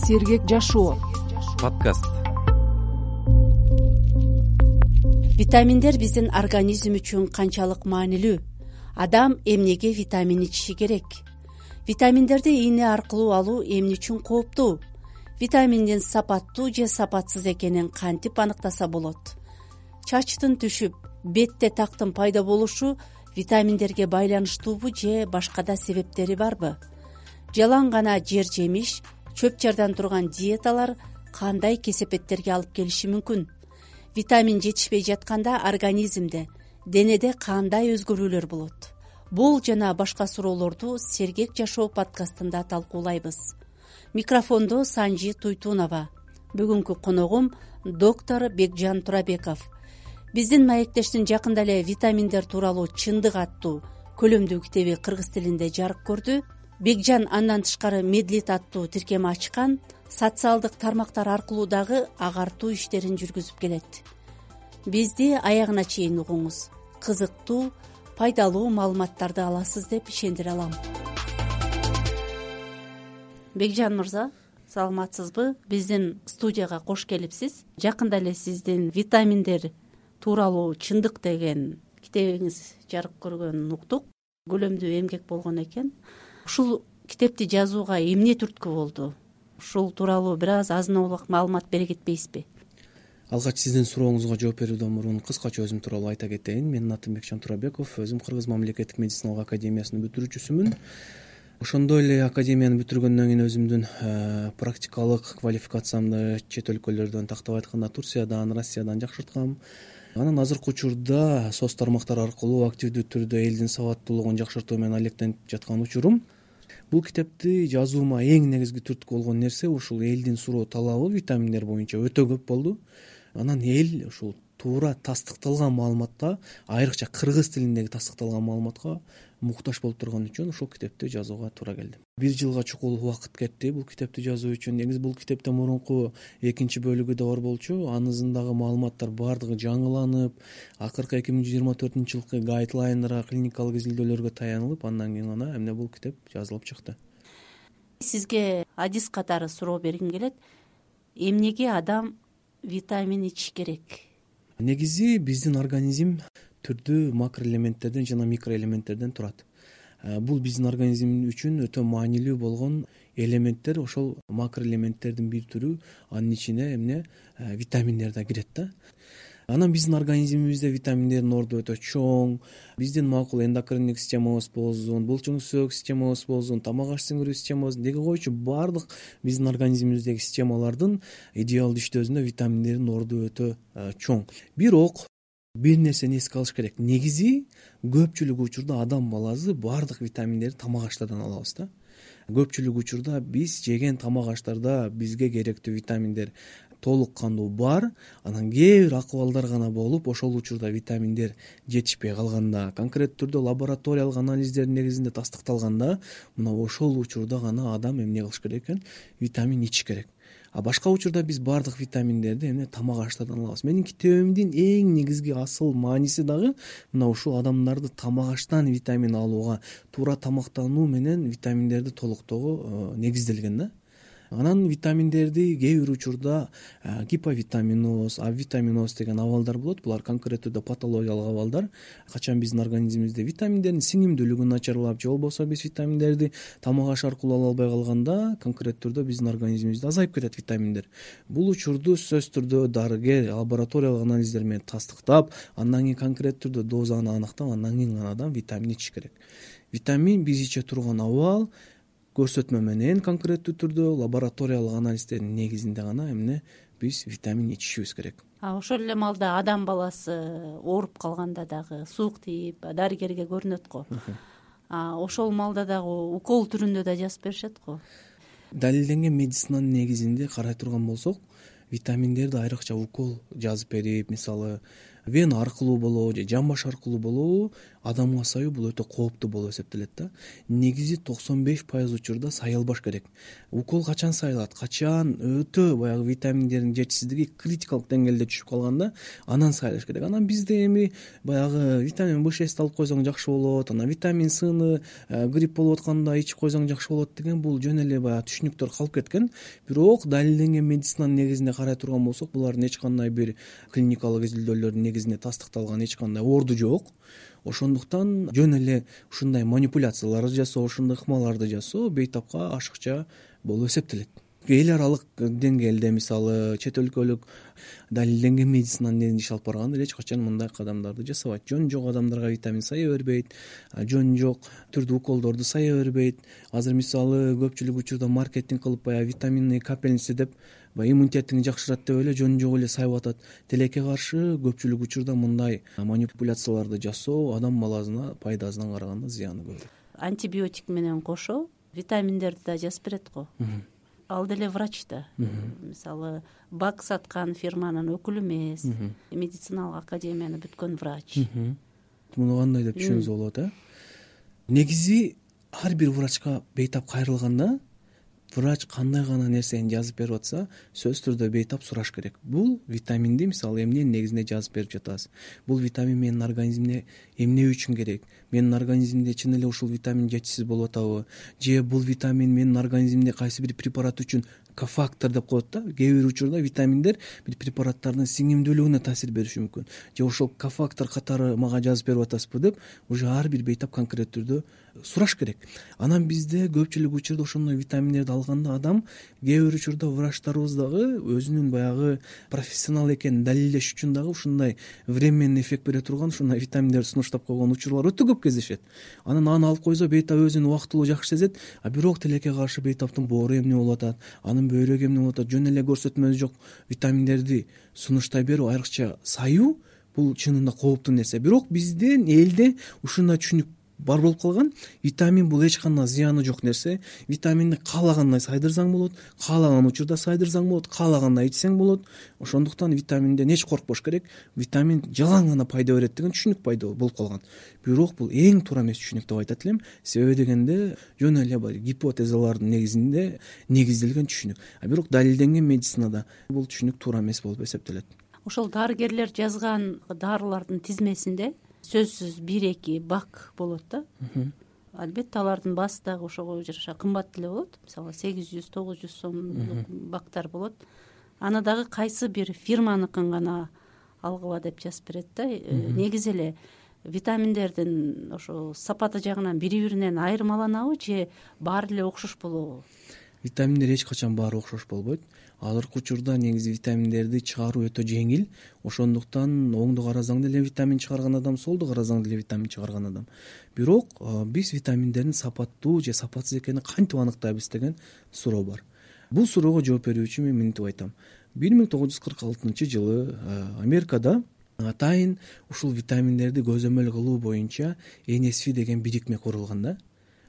Сергек жашоо подкаст. Витаминдер биздин организм үчүн канчалык маанилүү? Адам эмнеге витамин ичиши керек? Витаминдерди ийне аркылуу алуу эмне үчүн кооптуу? Витаминдин сапаттуу же сапатсыз экенин кантип аныктаса болот? Чачтын түшүп, бетте тактын пайда болушу витаминдерге байланыштуубу же башка да себептери барбы? Жалаң гана жер жемиш, чөп чардан турган диеталар кандай кесепеттерге алып келиши мүмкүн? Витамин жетишпей жатканда организмде, денеде кандай өзгөрүүлөр болот? Бул жана башка суроолорду Сергек жашоо подкастында талкуулайбыз. Микрофондо Санжи Туйтунова. Бүгүнкү коногум доктор Бекжан Турабеков. Биздин маектештин жакында эле витаминдер тууралуу чындык аттуу көлөмдүү китеби кыргыз тилинде жарык көрдү. Бекжан андан тышкары Медлит аттуу тиркем ачкан, социалдык тармактар аркылуу дагы агартуу иштерин жүргүзүп келет. Бизди аягына чейин угуңуз. Кызыктуу, пайдалуу маалыматтарды аласыз деп ишендире алам. Бекжан мырза, саламатсызбы? Биздин студияга кош келипсиз. Жакында эле сиздин витаминдер тууралуу чындык деген китебиңиз жарык көргөнүн уктук. Көлөмдүү эмгек болгон экен. Ушул китепти жазууга эмне түрткү болду? Ушул тууралуу бир аз азын-аулак маалымат бере кетпейсизби? Алгач сиздин сурооңузга жооп берүүдөн мурун кыскача өзүм тууралуу айта кетейин. Менин атым Бекжан Турабеков, өзүм Кыргыз мамлекеттик медициналык академиясынын бүтүрүүчүсүмүн. Ошондой эле академияны бүтүргөндөн кийин өзүмдүн практикалык квалификациямды чет өлкөлөрдөн, тактап айтканда Турциядан, Россиядан жакшырткам. Анан азыркы учурда соц тармактар аркылуу активдүү түрдө элдин сабаттуулугун жакшыртуу менен алектенип жаткан учурум. Бул китепти жазуума эң негизги түрткү болгон нерсе ушул элдин суроо талабы витаминдер боюнча өтө көп болду. Анан эл ушул туура тастыкталган маалыматка, айрыкча кыргыз тилиндеги тастыкталган маалыматка муктаж болуп турган үчүн ушул китепти жазууга туура келди. 1 жылга чукул убакыт кетти бул китепти жазуу үчүн. Негизи бул китептен мурунку экинчи бөлүгү да бар болчу. Анысындагы маалыматтар баардыгы жаңыланып, акыркы 2024 жылкы гайдлайнера, клиникалык изилдөөлөргө таянылып, андан кийин гана эмне бул китеп жазылып чыкты. Сизге адис катары суроо бергим келет. Эмнеге адам витамин ичиш керек? Негизи биздин организм түрдүү макроэлементтерден жана микроэлементтерден турат. Бул биздин организм үчүн өтө маанилүү болгон элементтер. Ошол макроэлементтердин бир түрү, анын ичине витаминдер да кирет да. Анан биздин организмибизде витаминдердин орду өтө чоң. Биздин макул эндокриндик системабыз болсун, булчуң-сөк системабыз болсун, тамак аш сиңирүү системабыз, деги койчу баардык биздин организмибиздеги системалардын идеалдуу иштөөсүндө витаминдердин орду өтө чоң. Бирок бир нерсени эске алыш керек. Негизи көпчүлүк учурда адам баласы баардык витаминдерди тамак аштардан алабыз да. Көпчүлүк учурда биз жеген тамак аштарда бизге керектүү витаминдер толук кандуу бар. Анан кээ бир акыбалдар гана болуп, ошол учурда витаминдер жетишпей калганда, конкреттүү түрдө лабораториялык анализдердин негизинде тастыкталганда, мына ошол учурда гана адам эмне кылыш керек экен? Витамин ичиш керек. А башка учурда биз баардык витаминдерди тамак аштардан алабыз. Менин китебимдин эң негизги асыл мааниси дагы мына ушул адамдарды тамак аштан витамин алууга, туура тамактануу менен витаминдерди толуктоого негизделген да. Анан витаминдерди кээ бир учурда гиповитаминоз, авитаминоз деген абалдар болот. Булар конкреттүү патологиялык абалдар. Качан биздин организмибизде витаминдердин сиңимдүүлүгү начарлап, же болбосо биз витаминдерди тамак аш аркылуу ала албай калганда, конкреттүү түрдө биздин организмибизде азайып кетет витаминдер. Бул учурду сөзсүз түрдө дарыгер лабораториялык анализдер менен тастыктап, андан кийин конкреттүү түрдө дозаны аныктап, андан кийин гана адам витамин ичиш керек. Витамин биз иче турган абал көрсөтмө менен конкреттүү түрдө лабораториялык анализдердин негизинде гана биз витамин ичишибиз керек. Ошол эле маалда адам баласы ооруп калганда дагы суук тийип дарыгерге көрүнөт го. Ошол маалда дагы укол түрүндө да жазып беришет го. Далилденген медицинанын негизинде карай турган болсок, витаминдерди айрыкча укол жазып берип, мисалы вена аркылуу болобу же жан баш аркылуу болобу адамга саюу бул өтө кооптуу болуп эсептелет да. Негизи 95% учурда сайылбаш керек. Укол качан сайылат, качан өтө баягы витаминдердин жетишсиздиги критикалык деңгээлде түшүп калганда анан сайылыш керек. Анан бизде эми баягы витамин B6 алып койсоң жакшы болот, анан витамин Сны грипп болуп атканда ичип койсоң жакшы болот деген бул жөн эле баягы түшүнүктөр калып кеткен. Бирок далилденген медицинанын негизинде карай турган болсок, булардын эч кандай бир клиникалык изилдөөлөрдүн негизинде тастыкталган эч кандай орду жок. Ошондуктан жөн эле ушундай манипуляцияларды жасоо, ушундай ыкмаларды жасоо бейтапка ашыкча болуп эсептелет. Эл аралык деңгээлде мисалы чет өлкөлүк далилденген медицинанын негизинде иш алып барганда эч качан мындай кадамдарды жасабайт. Жөн жок адамдарга витамин сая бербейт, жөн жок түрдүү уколдорду сая бербейт. Азыр мисалы көпчүлүк учурда маркетинг кылып баягы витаминный капельница деп иммунитетиңди жакшырат деп эле жөн жок эле сайып атат. Тилекке каршы көпчүлүк учурда мындай манипуляцияларды жасоо адам баласына пайдасынан караганда зыяны көп. Антибиотик менен кошо витаминдерди да жазып берет го. Ал деле врач да. Мисалы бак саткан фирманын өкүлү эмес, медициналык академияны бүткөн врач. Муну кандай деп түшүнүңүзгө болот, Негизи ар бир врачка бейтап кайрылганда врач кандай гана нерсени жазып берип атса, сөзсүз түрдө бейтап сураш керек. Бул витаминди мисалы эмненин негизинде жазып берип жатасыз? Бул витамин менин организмине эмне үчүн керек? Менин организмимде чын эле ушул витамин жетишсиз болуп атабы? Же бул витамин менин организмимде кайсы бир препарат үчүн кофактор деп коет да. Кээ бир учурда витаминдер бир препараттардын сиңимдүүлүгүнө таасир бериши мүмкүн. Же ошол кофактор катары мага жазып берип атасызбы деп уже ар бир бейтап конкреттүү түрдө сураш керек. Анан бизде көпчүлүк учурда ошондой витаминдерди алганда адам кээ бир учурда врачтарыбыз дагы өзүнүн баягы профессионал экенин далилдеш үчүн дагы ушундай временный эффект бере турган ушундай витаминдерди сунуштап койгон учурлар өтө көп кездешет. Анан аны алып койсо бейтап өзүн убактылуу жакшы сезет, а бирок тилекке каршы бейтаптын боору эмне болуп атат, анын бөйрөгү эмне болуп атат, жөн эле көрсөтмөсү жок витаминдерди сунуштай берүү, айрыкча саюу бул чынында кооптуу нерсе. Бирок биздин элде ушундай түшүнүк бар болуп калган. Витамин бул эч кандай зыяны жок нерсе. Витаминди каалагандай сайдырсаң болот, каалаган учурда сайдырсаң болот, каалагандай ичсең болот. Ошондуктан витаминден эч коркпош керек. Витамин жалаң гана пайда берет деген түшүнүк пайда болуп калган. Бирок бул эң туура эмес түшүнүк деп айтат элем. Себеби дегенде жөн эле гипотезалардын негизинде негизделген түшүнүк. А бирок далилденген медицинада бул түшүнүк туура эмес болуп эсептелет. Ошол дарыгерлер жазган дарылардын тизмесинде сөзсүз 1-2 бак болот да. Албетте алардын баасы дагы ошого жараша кымбат деле болот. Мисалы 800-900 сомдук бактар болот. Аны дагы кайсы бир фирманыкын гана алгыла деп жазып берет да. Негизи эле витаминдердин ошо сапаты жагынан бири-биринен айырмаланабы же баары эле окшош болобу? Витаминдер эч качан баары окшош болбойт. Азыркы учурда негизи витаминдерди чыгаруу өтө жеңил. Ошондуктан оңду карасаң деле витамин чыгарган адам, солду карасаң деле витамин чыгарган адам. Бирок биз витаминдердин сапаттуу же сапатсыз экенин кантип аныктайбыз деген суроо бар. Бул суроого жооп берүү үчүн мен мынтип айтам. 1946-жылы Америкада атайын ушул витаминдерди көзөмөл кылуу боюнча NSF деген бирикме курулган да.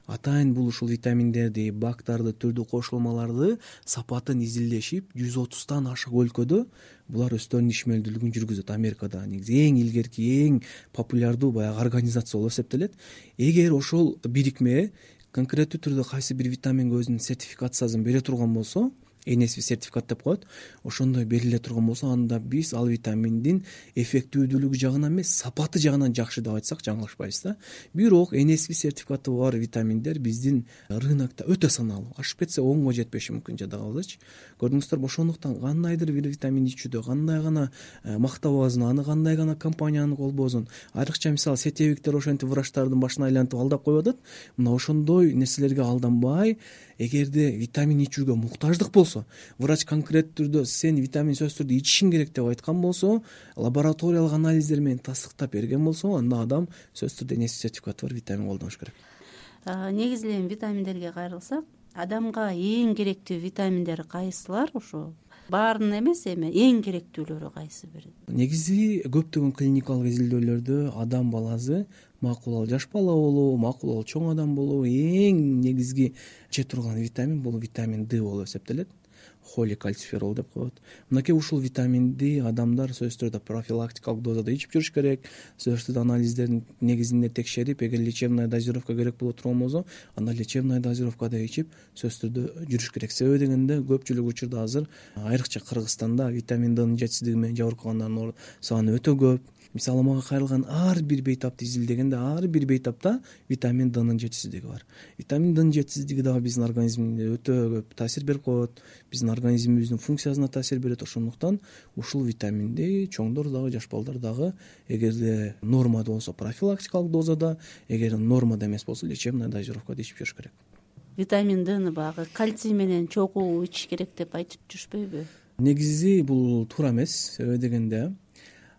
Атайын бул ушул витаминдерди, бактарды, түрдүү кошулмаларды сапатын изилдешип 130тан ашык өлкөдө булар өздөрүнүн ишмердүүлүгүн жүргүзөт. Америкада негизи эң илгерки, эң популярдуу баягы организация болуп эсептелет. Эгер ошол бирикме конкреттүү түрдө кайсы бир витаминге өзүнүн сертификациясын бере турган болсо, NSF сертификат деп коет, ошондой бериле турган болсо, анда биз ал витаминдин эффективдүүлүгү жагынан эмес, сапаты жагынан жакшы деп айтсак жаңылышпайбыз да. Бирок NSF сертификаты бар витаминдер биздин рынокто өтө саналуу. Ашып кетсе 10го жетпеши мүмкүн, жада калбачы. Көрдүңүздөрбү, ошондуктан кандайдыр бир витамин ичүүдө кандай гана мактабазын, аны кандай гана компаниянын колбозун, айрыкча мисалы сетевиктер ошентип врачтардын башын айлантып алдап коюп атат. Мына ошондой нерселерге алданбай, эгерде витамин ичүүгө муктаждык болсо, врач конкреттүү түрдө сен витамин сөзсүз түрдө ичишиң керек деп айткан болсо, лабораториялык анализдер менен тастыктап берген болсо, анда адам сөзсүз түрдө NSF сертификаты бар витамин колдонуш керек. Негизи эле витаминдерге кайрылсак, адамга эң керектүү витаминдер кайсылар? Ошо баарынын эмес, эми эң керектүүлөрү кайсы бир? Негизи көптөгөн клиникалык изилдөөлөрдө адам баласы макул жаш бала болобу, макул чоң адам болобу, эң негизги иче турган витамин бул витамин D болуп эсептелет. Холикальциферол деп коет. Мынакей ушул витаминди адамдар сөзсүз түрдө профилактикалык дозада ичип жүрүш керек. Сөзсүз түрдө анализдердин негизинде текшерип, эгер лечебная дозировка керек боло турган болсо, анда лечебная дозировкада ичип сөзсүз түрдө жүрүш керек. Себеби дегенде көпчүлүк учурда азыр айрыкча Кыргызстанда витамин Днын жетишсиздиги менен жабыркагандардын саны өтө көп. Мисалы мага кайрылган ар бир бейтапты изилдегенде ар бир бейтапта витамин Днын жетишсиздиги бар. Витамин Днын жетишсиздиги дагы биздин организмибизде өтө көп таасир берип коет, биздин организмибиздин функциясына таасир берет. Ошондуктан ушул витаминди чоңдор дагы, жаш балдар дагы эгерде нормада болсо профилактикалык дозада, эгер нормада эмес болсо лечебная дозировкада ичип жүрүш керек. Витамин Дны баягы кальций менен чогуу ичиш керек деп айтып жүрүшпөйбү? Негизи бул туура эмес. Себеби дегенде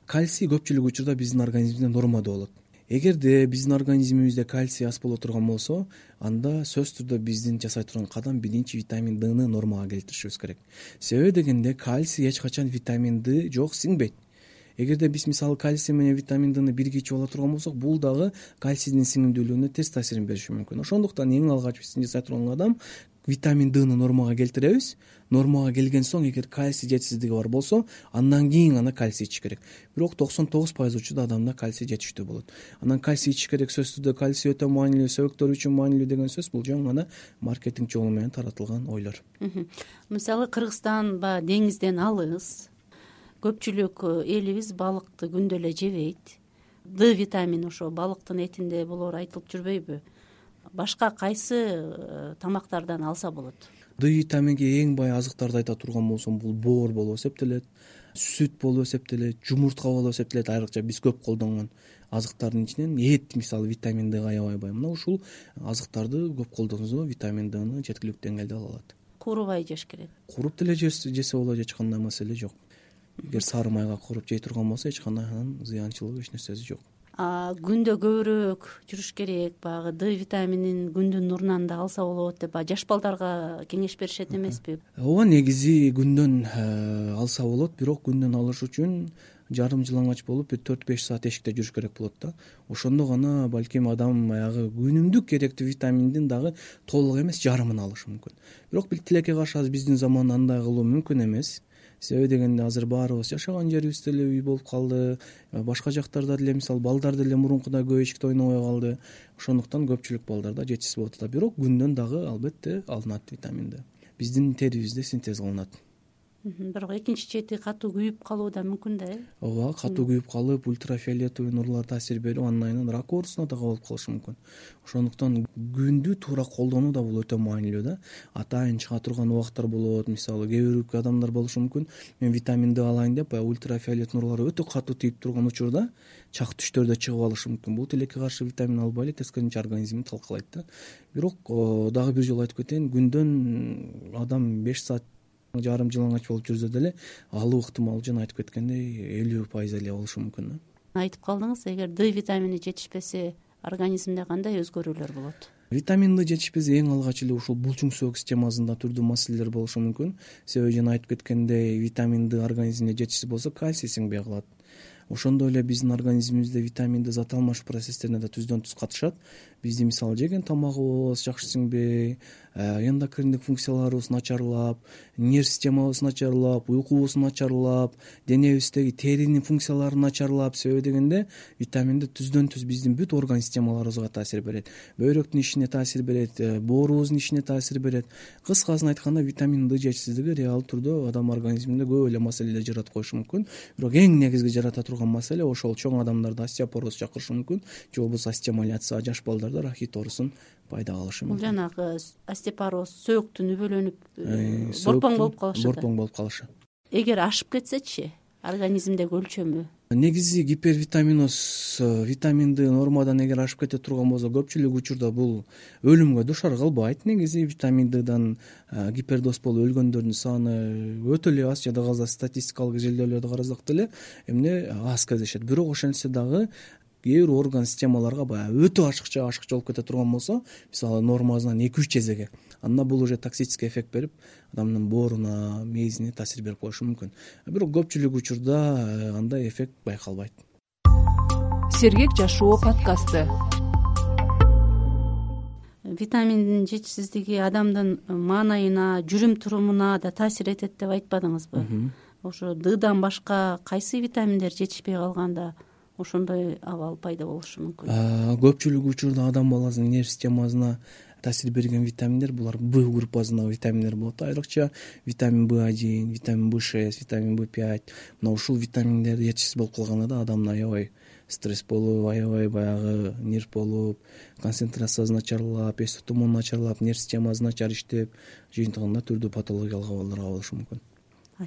кальций көпчүлүк учурда биздин организмибизде нормада болот. Эгерде биздин организмибизде кальций аз боло турган болсо, анда сөзсүз түрдө биздин жасай турган кадам биринчи витамин Дны нормага келтиришибиз керек. Себеби дегенде кальций эч качан витамин Д жок сиңбейт. Эгерде биз мисалы кальций менен витамин Дны бирге ичип ала турган болсок, бул дагы кальцийдин сиңимдүүлүгүнө терс таасирин бериши мүмкүн. Ошондуктан эң алгач биздин жасай турган кадам витамин Дны нормага келтиребиз. Нормага келген соң, эгер кальций жетишсиздиги бар болсо, андан кийин гана кальций ичиш керек. Бирок 99% учурда адамда кальций жетиштүү болот. Анан кальций ичиш керек сөзсүз түрдө кальций өтө маанилүү, сөбөктөр үчүн маанилүү деген сөз бул жөн гана маркетинг жолу менен таратылган ойлор. Мисалы Кыргызстан баягы деңизден алыс, көпчүлүк элибиз балыкты күндө эле жебейт. Д витамини ошо балыктын этинде болоору айтылып жүрбөйбү? Башка кайсы тамактардан алса болот? Д витаминге эң бай азыктарды айта турган болсом, бул боор болуп эсептелет, сүт болуп эсептелет, жумуртка болуп эсептелет. Айрыкча биз көп колдонгон азыктардын ичинен эт мисалы витамин Дга аябай бай. Мына ушул азыктарды көп колдонсо витамин Дны жеткиликтүү деңгээлде ала алат. Куурубай жеш керек. Кууруп деле жесе болот, эч кандай маселе жок. Эгер сары майга кууруп жей турган болсо, эч кандай анын зыянчылыгы, эч нерсеси жок. Күндө көбүрөөк жүрүш керек, баягы Д витаминин күндүн нурунан да алса болот деп жаш балдарга кеңеш беришет эмеспи? Ооба, негизи күндөн алса болот, бирок күндөн алыш үчүн жарым жылаңач болуп 4-5 саат эшикте жүрүш керек болот да. Ошондо гана балким адам баягы күнүмдүк керектүү витаминдин дагы толук эмес жарымын алышы мүмкүн. Бирок тилекке каршы азыр биздин заманда андай кылуу мүмкүн эмес. Себеби дегенде азыр баарыбыз жашаган жерибиз деле үй болуп калды, башка жактарда деле мисалы балдар деле мурункудай көп эшикте ойнобой калды. Ошондуктан көпчүлүк балдарда жетишсиз болуп атат. Бирок күндөн дагы албетте алынат витамин Д. Биздин терибизде синтез кылынат. Бирок экинчи чети катуу күйүп калуу да мүмкүн да, Ооба, катуу күйүп калып, ультрафиолетовый нурлар таасир берип, андан кийин рак оорусуна да кабылып калышы мүмкүн. Ошондуктан күндү туура колдонуу да бул өтө маанилүү да. Атайын чыга турган убакыттар болот, мисалы кээ бир адамдар болушу мүмкүн. Мен витамин Д алайын деп, ультрафиолет нурлары өтө катуу тийип турган учурда чак түштөрдө чыгып алышы мүмкүн. Бул тилекке каршы витамин албай эле тескерисинче организмди талкалайт да. Бирок дагы бир жолу айтып кетейин, күндөн адам 5 саат жарым жылаңач болуп жүрсө деле алуу ыктымал жана айтып кеткендей 50% эле болушу мүмкүн. Айтып калдыңыз, эгер Д витамини жетишпесе, организмде кандай өзгөрүүлөр болот? Витамин Д жетишпесе эң алгач эле ушул булчуң сөөгү системасында түрдүү маселелер болушу мүмкүн. Себеби жана айтып кеткендей, витамин Д организмде жетишсиз болсо кальций сиңбей калат. Ошондой эле биздин организмибизде витамин Д зат алмашуу процесстерине да түздөн түз катышат. Биздин мисалы жеген тамагыбыз жакшы сиңбей, эндокриндик функцияларыбыз начарлап, нерв системабыз начарлап, уйкубуз начарлап, денебиздеги теринин функциялары начарлап. Себеби дегенде витамин Д түздөн түз биздин бүт орган системаларыбызга таасир берет. Бөйрөктүн ишине таасир берет, боорубуздун ишине таасир берет. Кыскасын айтканда, витамин Д жетишсиздиги реал түрдө адам организминде көп эле маселелер жаратып коюшу мүмкүн. Бирок эң негизги жарата турган маселе ошол чоң адамдарда остеопороз чакырышы мүмкүн, же болбосо остеомаляция, жаш балдарда рахит оорусун пайда кылышы мүмкүн. Бул жанагы остеопороз сөөктүн үбөлөнүп борпоң болуп калышы. Борпоң болуп калышы. Эгер ашып кетсечи, организмдеги өлчөмү? Негизи гипервитаминоз, витамин Д нормадан эгер ашып кете турган болсо, көпчүлүк учурда бул өлүмгө дуушар кылбайт. Негизи витамин Ддан гипердоз болуп өлгөндөрдүн саны өтө эле аз, жада калса статистикалык изилдөөлөрдү карасак деле эмне аз кездешет. Бирок ошентсе дагы кээ бир орган системаларга баягы өтө ашыкча болуп кете турган болсо, мисалы нормасынан 2-3 эсеге, анда бул уже токсический эффект берип, адамдын бооруна, мээзине таасир берип коюшу мүмкүн. Бирок көпчүлүк учурда андай эффект байкалбайт. Сергек жашоо подкасты. Витаминдин жетишсиздиги адамдын маанайына, жүрүм турумуна да таасир этет деп айтпадыңызбы? Ошо Ддан башка кайсы витаминдер жетишпей калганда ошондой абал пайда болушу мүмкүн? Көпчүлүк учурда адам баласынын нерв системасына таасир берген витаминдер булар Б группасындагы витаминдер болот. Айрыкча витамин B1, витамин B6, витамин B5. Мына ушул витаминдер жетишсиз болуп калганда да адамда аябай стресс болуп, аябай баягы нерв болуп, концентрациясы начарлап, эс тутуму начарлап, нерв системасы начар иштеп, жыйынтыгында түрдүү патологиялык абалдар болушу мүмкүн.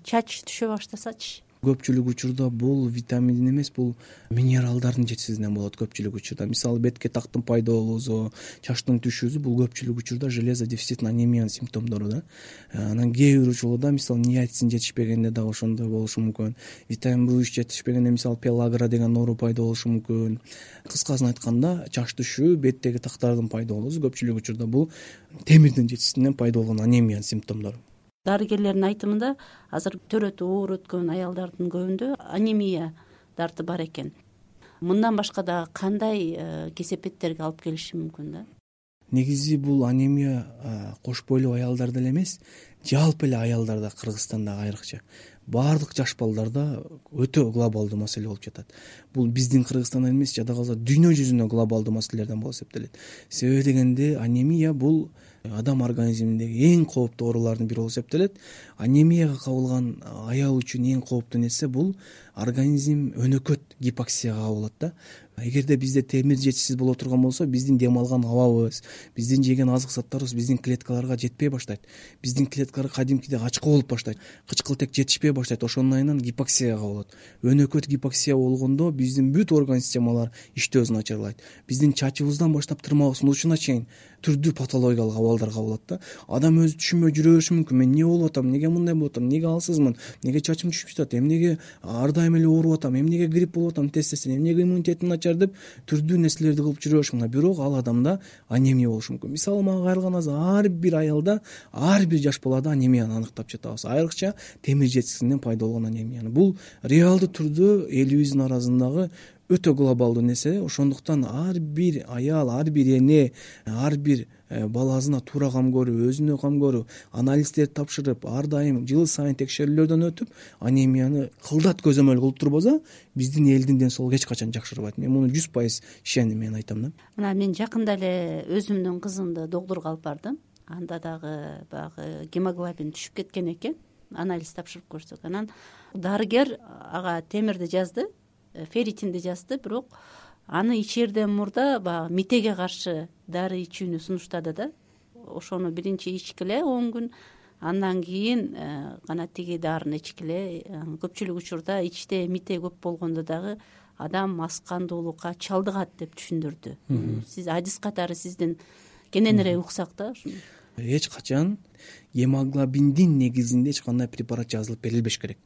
Чач түшө баштасачы? Көпчүлүк учурда бул витаминдин эмес, бул минералдардын жетишсиздигинен болот. Көпчүлүк учурда мисалы бетке тактын пайда болуусу, чачтын түшүүсү бул көпчүлүк учурда железо дефицитин анемиянын симптомдору да. Анан кээ бир учурда мисалы ниацин жетишпегенде дагы ошондой болушу мүмкүн. Витамин B3 жетишпегенде мисалы пелагра деген оору пайда болушу мүмкүн. Кыскасын айтканда, чач түшүү, беттеги тактардын пайда болуусу көпчүлүк учурда бул темирдин жетишсиздигинен пайда болгон анемиянын симптомдору. Дарыгерлердин айтымында азыр төрөтүп оор өткөн аялдардын көбүндө анемия дарты бар экен. Мындан башка да кандай кесепеттерге алып келиши мүмкүн да? Негизи бул анемия кош бойлуу аялдарда эле эмес, жалпы эле аялдарда, Кыргызстанда айрыкча баардык жаш балдарда өтө глобалдуу маселе болуп жатат. Бул биздин Кыргызстандан эмес, жада калса дүйнө жүзүндө глобалдуу маселелерден болуп эсептелет. Себеби дегенде анемия бул адам организминдеги эң кооптуу оорулардын бири болуп эсептелет. Анемияга кабылган аял үчүн эң кооптуу нерсе бул организм өнөкөт гипоксияга кабылат да. Эгерде бизде темир жетишсиз боло турган болсо, биздин дем алган абабыз, биздин жеген азык заттарыбыз биздин клеткаларга жетпей баштайт. Биздин клеткалар кадимкидей ачкы болуп баштайт. Кычкылтек жетишпей баштайт. Ошонун айынан гипоксияга кабылат. Өнөкөт гипоксия болгондо биздин бүт орган системалар иштөөсү начарлайт. Биздин чачыбыздан баштап тырмагыбыздын учуна чейин түрдүү патологиялык абалдар кабылат да. Адам өзү түшүнбөй жүрө бериши мүмкүн. Мен эмне болуп атам, неге мындай болуп атам, неге алсызмын, неге чачым түшүп жатат, эмнеге ар дайым эле ооруп атам, эмнеге грипп болуп атам, тез эмнеге иммунитетим начар деп түрдүү нерселерди кылып жүрө бериши мүмкүн. Бирок ал адамда анемия болушу мүмкүн. Мисалы мага кайрылган ар бир аялда, ар бир жаш балада анемияны аныктап жатабыз. Айрыкча темир жетишсиздигинен пайда болгон анемияны. Бул реалдуу түрдө элибиздин арасындагы өтө глобалдуу нерсе. Ошондуктан ар бир аял, ар бир эне, ар бир баласына туура кам көрүп, өзүнө кам көрүп, анализдерди тапшырып, ар дайым жыл сайын текшерүүлөрдөн өтүп, анемияны кылдат көзөмөл кылып турбаса, биздин элдин ден соолугу эч качан жакшырбайт. Мен муну 100% ишеним, мен айтам да. Мына мен жакында эле өзүмдүн кызымды доктурга алып бардым. Анда дагы баягы гемоглобин түшүп кеткен экен. Анализ тапшырып көрсөк, анан дарыгер ага темирди жазды, ферритинди жазды, бирок аны ичерден мурда баягы митеге каршы дары ичүүнү сунуштады да. Ошону биринчи ичкиле 10 күн, андан кийин гана тиги дарыны ичкиле. Көпчүлүк учурда ичте мите көп болгондо дагы адам мас кандуулукка чалдыгат деп түшүндүрдү. Сиз адис катары сиздин кененирээк уксак да. Эч качан гемоглобиндин негизинде эч кандай препарат жазылып берилбеш керек.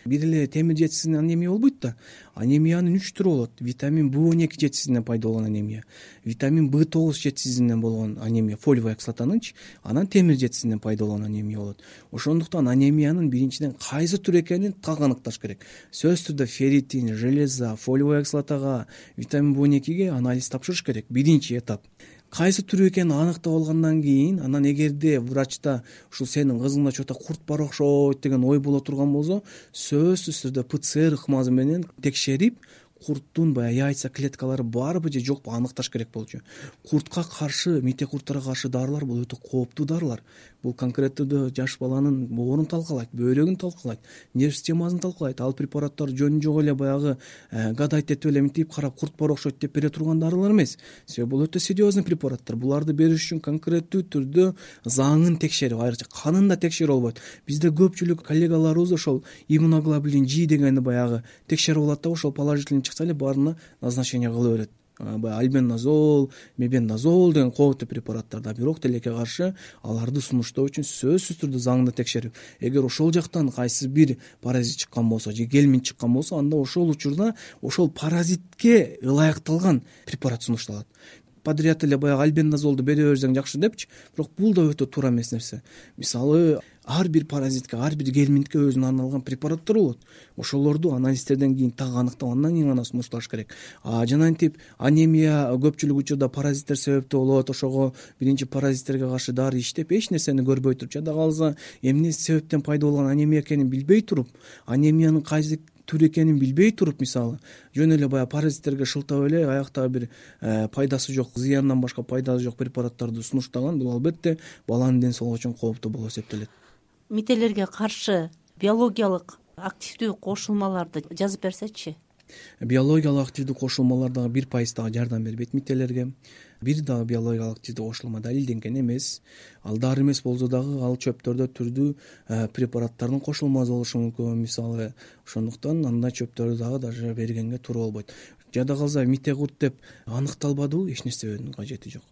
Бир эле темир жетишсиздигинен анемия болбойт да. Анемиянын 3 түрү болот. Витамин B12 жетишсиздигинен пайда болгон анемия, витамин B9 жетишсиздигинен болгон анемия, фолиевая кислотанынчы, анан темир жетишсиздигинен пайда болгон анемия болот. Ошондуктан анемиянын биринчиден кайсы түрү экенин так аныкташ керек. Сөзсүз түрдө ферритин, железа, фолиевая кислотага, витамин B12ге анализ тапшырыш керек. Биринчи этап. Кайсы түрү экенин аныктап алгандан кийин, анан эгерде врачта ушул сенин кызыңда чота курт бар окшойт деген ой боло турган болсо, сөзсүз түрдө ПЦР ыкмасы менен текшерип, курттун баягы яйца клеткалары барбы же жокпу аныкташ керек болчу. Куртка каршы, мите курттарга каршы дарылар бул өтө кооптуу дарылар. Бул конкреттүү жаш баланын боорун талкалайт, бөйрөгүн талкалайт, нерв системасын талкалайт. Ал препараттар жөн жок эле баягы гадайт этип эле мынтип карап курт бар окшойт деп бере турган дарылар эмес. Себеби бул өтө серьезный препараттар. Буларды бериш үчүн конкреттүү түрдө заңын текшерип, айрыкча канын да текшерип албайт. Бизде көпчүлүк коллегаларыбыз ошол иммуноглобулин G дегенди баягы текшерип алат да, ошол положительный чыкса эле баарына назначение кыла берет. Альбендазол, мебендазол деген кооптуу препараттар да. Бирок тилекке каршы аларды сунуштоо үчүн сөзсүз түрдө заңды текшерип, эгер ошол жактан кайсы бир паразит чыккан болсо же гельминт чыккан болсо, анда ошол учурда ошол паразитке ылайыкталган препарат сунушталат. подряд эле баягы альбендазолду бере берсең жакшы депчи, бирок бул да өтө туура эмес нерсе. Мисалы ар бир паразитке, ар бир гельминтке өзүнө арналган препараттар болот. Ошолорду анализдерден кийин так аныктап, андан кийин гана сунушташ керек. Жанагынтип анемия көпчүлүк учурда паразиттер себептүү болот. Ошого биринчи паразиттерге каршы дары иштеп эч нерсени көрбөй туруп, жада калса эмне себептен пайда болгон анемия экенин билбей туруп, анемиянын кайсы түр экенин билбей туруп, мисалы жөн эле баягы паразиттерге шылтап эле аяктагы бир пайдасы жок, зыяндан башка пайдасы жок препараттарды сунуштаган, бул албетте баланын ден соолугу үчүн кооптуу болуп эсептелет. Мителерге каршы биологиялык активдүү кошулмаларды жазып берсечи. Биологиялык активдүү кошулмалар дагы 1% дагы жардам бербейт мителерге. Бир дагы биологиялык активдүү кошулма далилденген эмес. Ал дары эмес болсо дагы ал чөптөрдө түрдүү препараттардын кошулмасы болушу мүмкүн, мисалы. Ошондуктан андай чөптөрдү дагы даже бергенге туура болбойт. Жада калса мите курт деп аныкталбадыбы, эч нерсе берүүнүн кажети жок.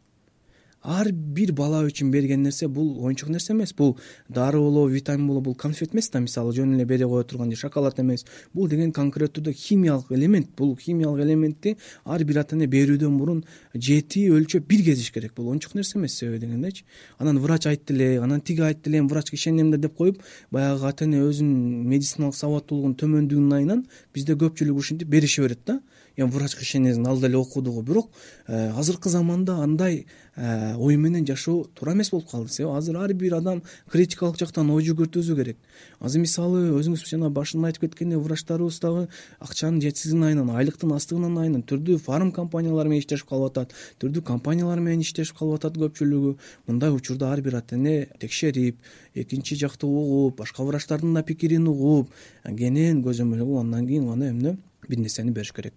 Ар бир бала үчүн берген нерсе бул оюнчук нерсе эмес. Бул дары болобу, витамин болобу, бул конфет эмес да, мисалы жөн эле бере кое турган шоколад эмес. Бул деген конкреттүү түрдө химиялык элемент. Бул химиялык элементти ар бир ата эне берүүдөн мурун жети өлчөп бир кезиш керек. Бул оюнчук нерсе эмес, себеби дегендечи. Анан врач айтты эле, анан тиги айтты эле, врачка ишенем да деп коюп, баягы ата эне өзүнүн медициналык сабаттуулугунун төмөндүгүнүн айынан бизде көпчүлүк ушинтип берише берет да. Врачка ишенесиң, ал деле окудугу. Бирок азыркы заманда андай ой менен жашоо туура эмес болуп калды. Себеби азыр ар бир адам критикалык жактан ой жүгүртүүсү керек. Азыр мисалы өзүңүз жана башында айтып кеткендей, врачтарыбыз дагы акчанын жетсизигинин айынан, айлыктын астыгынын айынан түрдүү фарм компаниялар менен иштешип калып атат, түрдүү компаниялар менен иштешип калып атат көпчүлүгү. Мындай учурда ар бир ата эне текшерип, экинчи жакты угуп, башка врачтардын да пикирин угуп, кенен көзөмөл, андан кийин гана эмне бир нерсени бериш керек.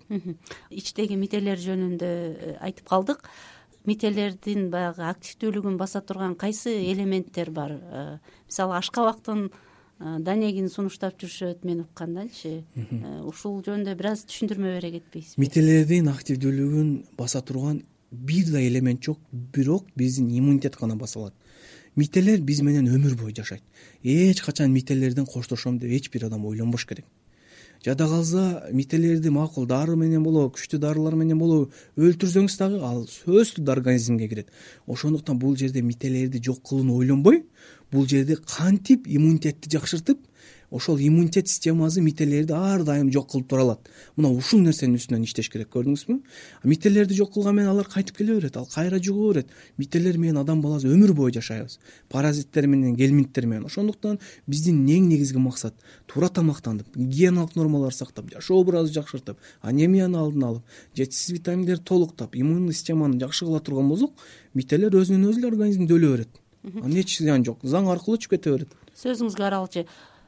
Ичтеги мителер жөнүндө айтып калдык. Мителердин баягы активдүүлүгүн баса турган кайсы элементтер бар? Мисалы ашкабактын данегин сунуштап жүрүшөт, мен уккандачы. Ушул жөнүндө бир аз түшүндүрмө бере кетпейсизби? Мителердин активдүүлүгүн баса турган бир да элемент жок, бирок биздин иммунитет гана баса алат. Мителер биз менен өмүр бою жашайт. Эч качан мителерден коштошом деп эч бир адам ойлонбош керек. Жада калса мителерди макул дары менен болобу, күчтүү дарылар менен болобу өлтүрсөңүз дагы ал сөзсүз организмге кирет. Ошондуктан бул жерде мителерди жок кылууну ойлонбой, бул жерде кантип иммунитетти жакшыртып, ошол иммунитет системасы мителерди ар дайым жок кылып тура алат. Мына ушул нерсенин үстүнөн иштеш керек, көрдүңүзбү? Мителерди жок кылган менен алар кайтып келе берет, ал кайра жуга берет. Мителер менен адам баласы өмүр бою жашайбыз. Паразиттер менен, гельминттер менен. Ошондуктан биздин эң негизги максат туура тамактанып, гигиеналык нормалар сактап, жашоо образды жакшыртып, анемияны алдын алып, жетишсиз витаминдерди толуктап, иммундук системаны жакшы кыла турган болсок, мителер өзүнөн өзү эле организмде өлө берет. Анын эч зыяны жок, заң аркылуу чыгып кете берет. Сөзүңүзгө аралчы.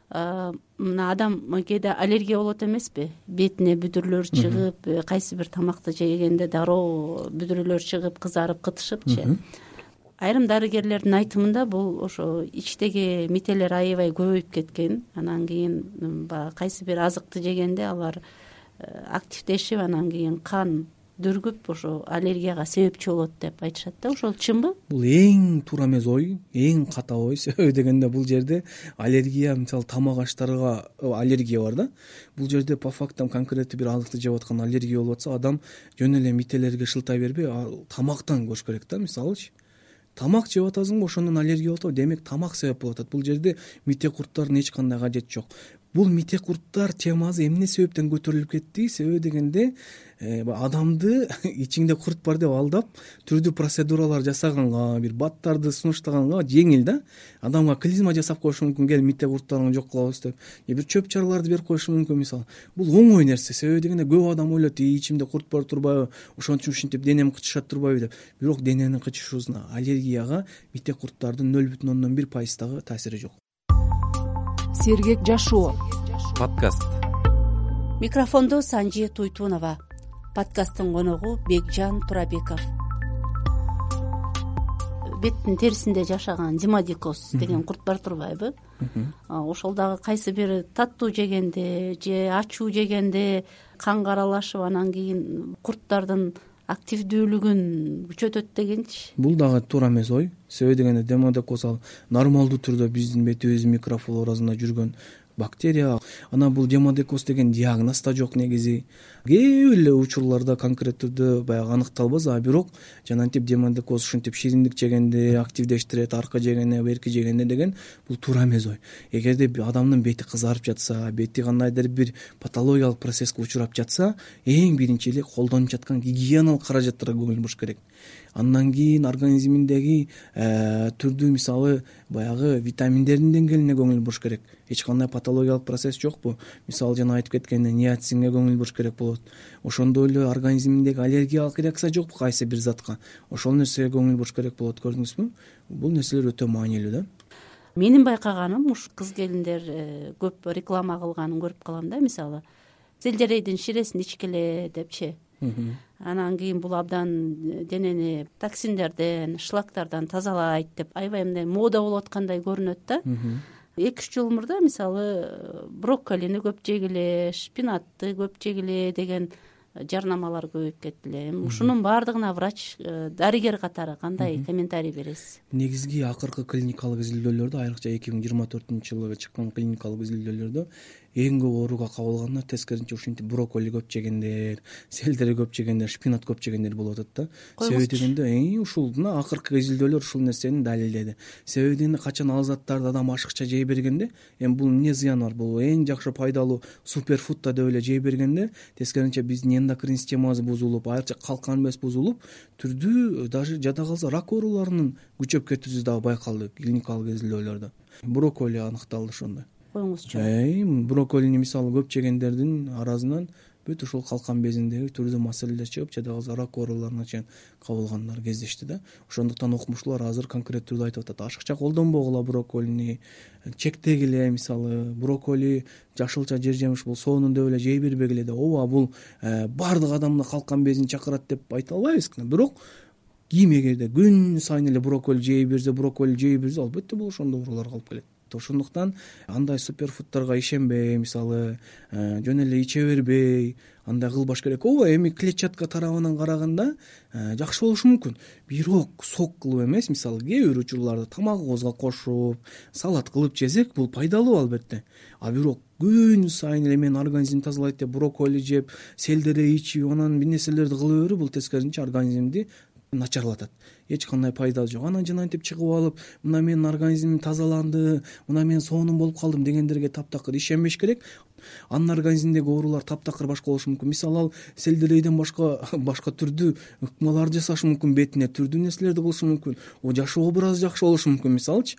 Мына адам кээде аллергия болот эмеспи? Бетине бүдүрлөр чыгып, кайсы бир тамакты жегенде дароо бүдүрлөр чыгып, кызарып, кытышыпчы. Айрым дарыгерлердин айтымында бул ошо ичтеги мителер аябай көбөйүп кеткен. Анан кийин кайсы бир азыкты жегенде алар активдешип, анан кийин кан дүргүп ошо аллергияга себепчи болот деп айтышат да. Ошол чынбы? Бул эң туура эмес ой, эң ката ой. Себеби дегенде бул жерде аллергия, мисалы тамак аштарга аллергия бар да. Бул жерде по фактам конкреттүү бир азыкты жеп аткан аллергия болуп атса, адам жөн эле мителерге шылтай бербей, тамактан көрүш керек да. Мисалычы тамак жеп атасыңбы, ошондон аллергия болот, демек тамак себеп болуп атат. Бул жерде мите курттардын эч кандай кажети жок. Бул мите курттар темасы эмне себептен көтөрүлүп кетти? Себеби дегенде адамды ичиңде курт бар деп алдап, түрдүү процедуралар жасаганга, бир баттарды сунуштаганга жеңил да. Адамга клизма жасап коюшу мүмкүн, кел мите курттарыңды жок кылабыз деп. Бир чөп чараларды берип коюшу мүмкүн, мисалы. Бул оңой нерсе. Себеби дегенде көп адам ойлойт, ичимде курт бар турбайбы, ошон үчүн ушинтип денем кычышат турбайбы деп. Бирок дененин кычышуусуна аллергияга мите курттардын 0,1% дагы таасири жок. Сергек жашоо подкаст. Микрофондо Санжи Туйтунова. Подкасттын коногу Бекжан Турабеков. Беттин терисинде жашаган демодикоз деген курт бар турбайбы? Ошол дагы кайсы бир таттуу жегенде же ачуу жегенде канга аралашып, анан кийин курттардын активдүүлүгүн күчөтөт дегенчи. Бул дагы туура эмес ой. себеби дегенде демодекоз ал нормалдуу түрдө биздин бетибиздин микрофлорасында жүргөн бактерия. Анан бул демодекоз деген диагноз да жок негизи. Кээ бир эле учурларда конкрет түрдө баягы аныкталбас, а бирок жанагынтип демодекоз ушинтип шириндик жегенде активдештирет, аркы жегенде, берки жегенде деген бул туура эмес ой. Эгерде адамдын бети кызарып жатса, бети кандайдыр бир патологиялык процесске учурап жатса, эң биринчи эле колдонуп жаткан гигиеналык каражаттарга көңүл буруш керек. Андан кийин организминдеги түрдүү, мисалы баягы витаминдердин деңгээлине көңүл буруш керек. Эч кандай патологиялык процесс жокпу? Мисалы жана айтып кеткендей ниацинге көңүл буруш керек болот. Ошондой эле организминдеги аллергиялык реакция жокпу кайсы бир затка? Ошол нерсеге көңүл буруш керек болот, көрдүңүзбү? Бул нерселер өтө маанилүү да. Менин байкаганым ушу кыз келиндер көп реклама кылганын көрүп калам да, мисалы сельдерейдин ширесин ичкиле депчи. Анан кийин бул абдан денени токсиндерден, шлактардан тазалайт деп аябай мындай мода болуп аткандай көрүнөт да. 2-3 жыл мурда мисалы брокколини көп жегиле, шпинатты көп жегиле деген жарнамалар көбөйүп кетти эле. Ушунун баардыгына врач, дарыгер катары кандай комментарий бересиз? Негизги акыркы клиникалык изилдөөлөрдө, айрыкча 2024-жылы чыккан клиникалык изилдөөлөрдө эң көп ооруга кабылгандар тескерисинче ушинтип брокколи көп жегендер, сельдерей көп жегендер, шпинат көп жегендер болуп атат да. Себеби дегенде ушул мына акыркы изилдөөлөр ушул нерсени далилдеди. Себеби дегенде качан ал заттарды адам ашыкча жей бергенде, эми бул эмне зыяны бар? Бул эң жакшы пайдалуу суперфуд да деп эле жей бергенде тескерисинче биздин эндокрин системабыз бузулуп, айрыкча калкан без бузулуп, түрдүү даже жада калса рак ооруларынын күчөп кетүүсү дагы байкалды клиникалык изилдөөлөрдө. Брокколи аныкталды ошондо. Коюңузчу. Брокколини мисалы көп жегендердин арасынан бүт ушул калкан безиндеги түрдүү маселелер чыгып, жада калса рак ооруларына чейин кабылгандар кездешти да. Ошондуктан окумуштуулар азыр конкрет түрдө айтып атат, ашыкча колдонбогула брокколини, чектегиле, мисалы брокколи жашылча жер жемиш бул сонун деп эле жей бербегиле деп. Ооба, бул баардык адамды калкан безин чакырат деп айта албайбыз, бирок ким эгерде күн сайын эле брокколи жей берсе, албетте бул ошондой ооруларга алып келет. Ошондуктан андай суперфудтарга ишенбей, мисалы жөн эле иче бербей, андай кылбаш керек. Ооба, эми клетчатка тарабынан караганда жакшы болушу мүмкүн, бирок сок кылып эмес, мисалы кээ бир учурларда тамагыбызга кошуп, салат кылып жесек, бул пайдалуу албетте. А бирок күн сайын эле менин организмди тазалайт деп брокколи жеп, сельдерей ичип, анан бир нерселерди кыла берүү, бул тескерисинче организмди начарлатат. Эч кандай пайда жок. Анан жанагынтип чыгып алып, мына менин организмим тазаланды, мына мен сонун болуп калдым дегендерге таптакыр ишенбеш керек. Анын организминдеги оорулар таптакыр башка болушу мүмкүн. Мисалы ал сельдерейден башка түрдүү ыкмаларды жасашы мүмкүн, бетине түрдүү нерселерди кылышы мүмкүн. Жашоо образы жакшы болушу мүмкүн. Мисалычы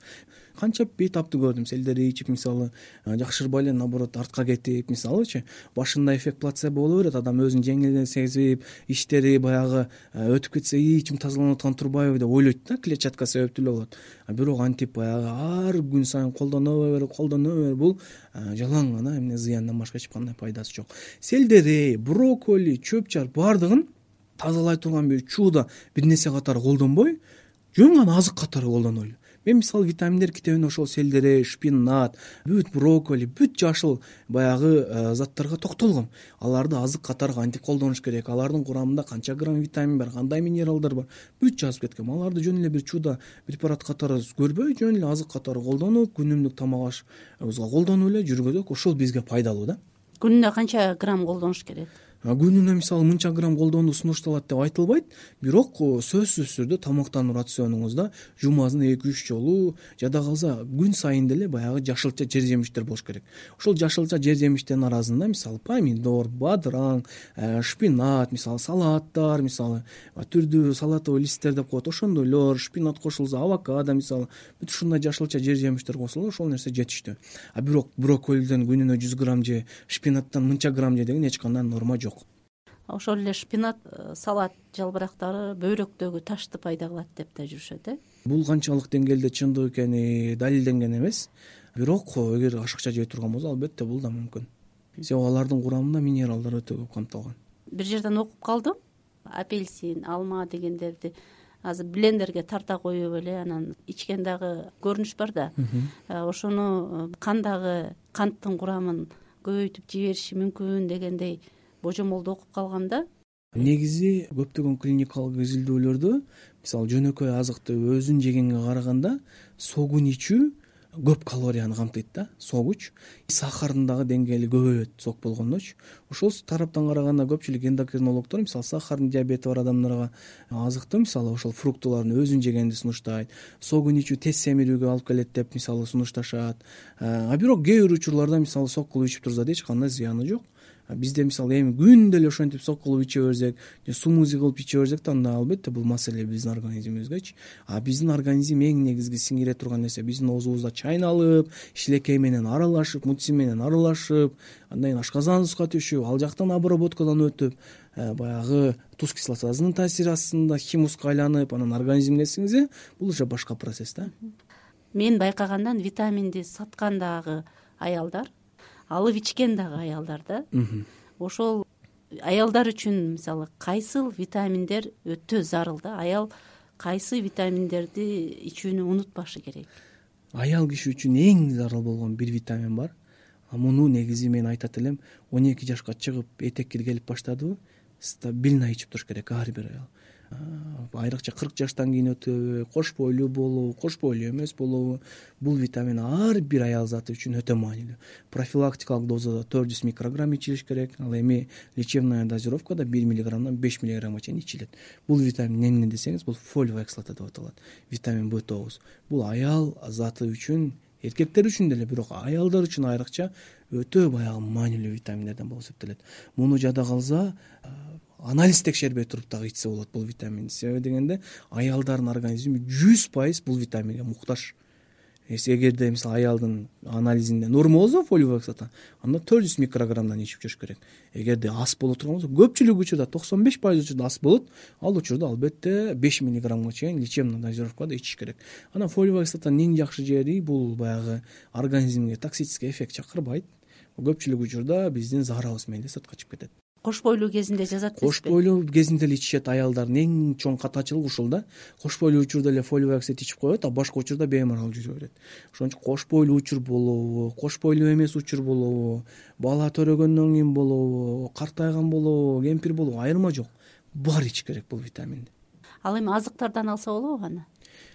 канча бейтапты көрдүм, сельдерей ичип мисалы жакшырбай эле наоборот артка кетип, мисалычы башында эффект плацебо боло берет, адам өзүн жеңил сезип, иштери баягы өтүп кетсе, ичим тазаланып аткан турбайбы деп ойлойт да, клетчатка себептүү эле болот. Бирок антип баягы ар күн сайын колдоно бер, бул жалаң гана эмне зыяндан башка эч кандай пайдасы жок. Сельдерей, брокколи, чөп-чар баардыгын тазалай турган бир чуудо бир нерсе катары колдонбой, жөн гана азык катары колдонойлу. Мен мисалы витаминдер китебинде ошол сельдерей, шпинат, бүт брокколи, бүт жашыл баягы заттарга токтолгом. Аларды азык катары кантип колдонуш керек, алардын курамында канча грамм витамин бар, кандай минералдар бар, бүт жазып кеткем. Аларды жөн эле бир чуудо препарат катары көрбөй, жөн эле азык катары колдонуп, күнүмдүк тамак ашыбызга колдонуп эле жүргөзөк, ошол бизге пайдалуу да. Күнүнө канча грамм колдонуш керек? Күнүнө мисалы мынча грамм колдонуу сунушталат деп айтылбайт, бирок сөзсүз түрдө тамактануу рационуңузда жумасына 2-3 жолу, жада калса күн сайын деле баягы жашылча жер жемиштер болуш керек. Ошол жашылча жер жемиштердин арасында мисалы помидор, бадыраң, шпинат, мисалы салаттар, мисалы түрдүү салатовый листтер деп коет, ошондойлор, шпинат кошулса, авокадо мисалы, бүт ушундай жашылча жер жемиштер кошулса, ошол нерсе жетиштүү. Бирок брокколиден күнүнө 100 грамм же, шпинаттан мынча грамм же деген эч кандай норма жок. Ошол эле шпинат, салат жалбырактары бөйрөктөгү ташты пайда кылат деп да жүрүшөт, Бул канчалык деңгээлде чындык экени далилденген эмес, бирок эгер ашыкча жей турган болсо, албетте бул да мүмкүн. Себеби алардын курамында минералдар өтө көп камтылган. Бир жерден окуп калдым, апельсин, алма дегендерди азыр блендерге тарта коюп эле анан ичкен дагы көрүнүш бар да. Ошону кандагы канттын курамын көбөйтүп жибериши мүмкүн дегендей божомолду окуп калгам да. негизи көптөгөн клиникалык изилдөөлөрдө мисалы жөнөкөй азыкты өзүн жегенге караганда согун ичүү көп калорияны камтыйт да. Согуч сахардын дагы деңгээли көбөйөт сок болгондочу. Ошол тараптан караганда көпчүлүк эндокринологдор мисалы сахардын диабети бар адамдарга азыкты мисалы ошол фруктылардын өзүн жегенди сунуштайт. Согун ичүү тез семирүүгө алып келет деп мисалы сунушташат. А бирок кээ бир учурларда мисалы сок кылып ичип турса да эч кандай зыяны жок. Бизде мисалы эми күндө эле ошентип сок кылып иче берсек же смузи кылып иче берсек да анда албетте бул маселе биздин организмибизгечи. А биздин организм эң негизги сиңире турган нерсе биздин оозубузда чайналып, шилекей менен аралашып, мутси менен аралашып, андан кийин ашказаныбызга түшүп, ал жактан обработкадан өтүп, баягы туз кислотасынын таасири астында химуска айланып, анан организмге сиңсе, бул уже башка процесс да. Мен байкагандан витаминди саткан дагы аялдар, алып ичкен дагы аялдар да. Ошол аялдар үчүн мисалы кайсыл витаминдер өтө зарыл да. Аял кайсы витаминдерди ичүүнү унутпашы керек? Аял киши үчүн эң зарыл болгон бир витамин бар. Муну негизи мен айтат элем, 12 жашка чыгып этек киргелип баштадыбы, стабильно ичип туруш керек ар бир аял. Айрыкча 40 жаштан кийин өтөбү, кош бойлуу болобу, кош бойлуу эмес болобу, бул витамин ар бир аял заты үчүн өтө маанилүү. Профилактикалык дозада 400 микрограмм ичилиш керек, ал эми лечебная дозировкада 1 миллиграммдан 5 миллиграммга чейин ичилет. Бул витамин эмне десеңиз, бул фолиевая кислота деп аталат. Витамин B9. Бул аял заты үчүн, эркектер үчүн деле, бирок аялдар үчүн айрыкча өтө баягы маанилүү витаминдерден болуп эсептелет. Муну жада калса, анализ текшербей туруп дагы ичсе болот бул витаминди. Себеби дегенде аялдардын организми 100% бул витаминге муктаж. Эгерде мисалы аялдын анализинде норма болсо фолиевая кислота, анда 400 микрограммдан ичип жүрүш керек. Эгерде аз боло турган болсо, көпчүлүк учурда 95% учурда аз болот, ал учурда албетте 5 миллиграммга чейин лечебный дозировкада ичиш керек. Анан фолиевая кислотанын эң жакшы жери бул баягы организмге токсический эффект чакырбайт. Көпчүлүк учурда биздин заарабыз менен сыртка чыгып кетет. Кош бойлуу кезинде жазат эмеспи? Кош бойлуу кезинде эле ичишет аялдардын эң чоң катачылыгы ушул да. Кош бойлуу учурда эле фолиевая кислота ичип коет, а башка учурда беймарал жүрө берет. Ошон үчүн кош бойлуу учур болобу, кош бойлуу эмес учур болобу, бала төрөгөндөн кийин болобу, картайган болобу, кемпир болобу, айырма жок. Баары ичиш керек бул витаминди. Ал эми азыктардан алса болобу аны?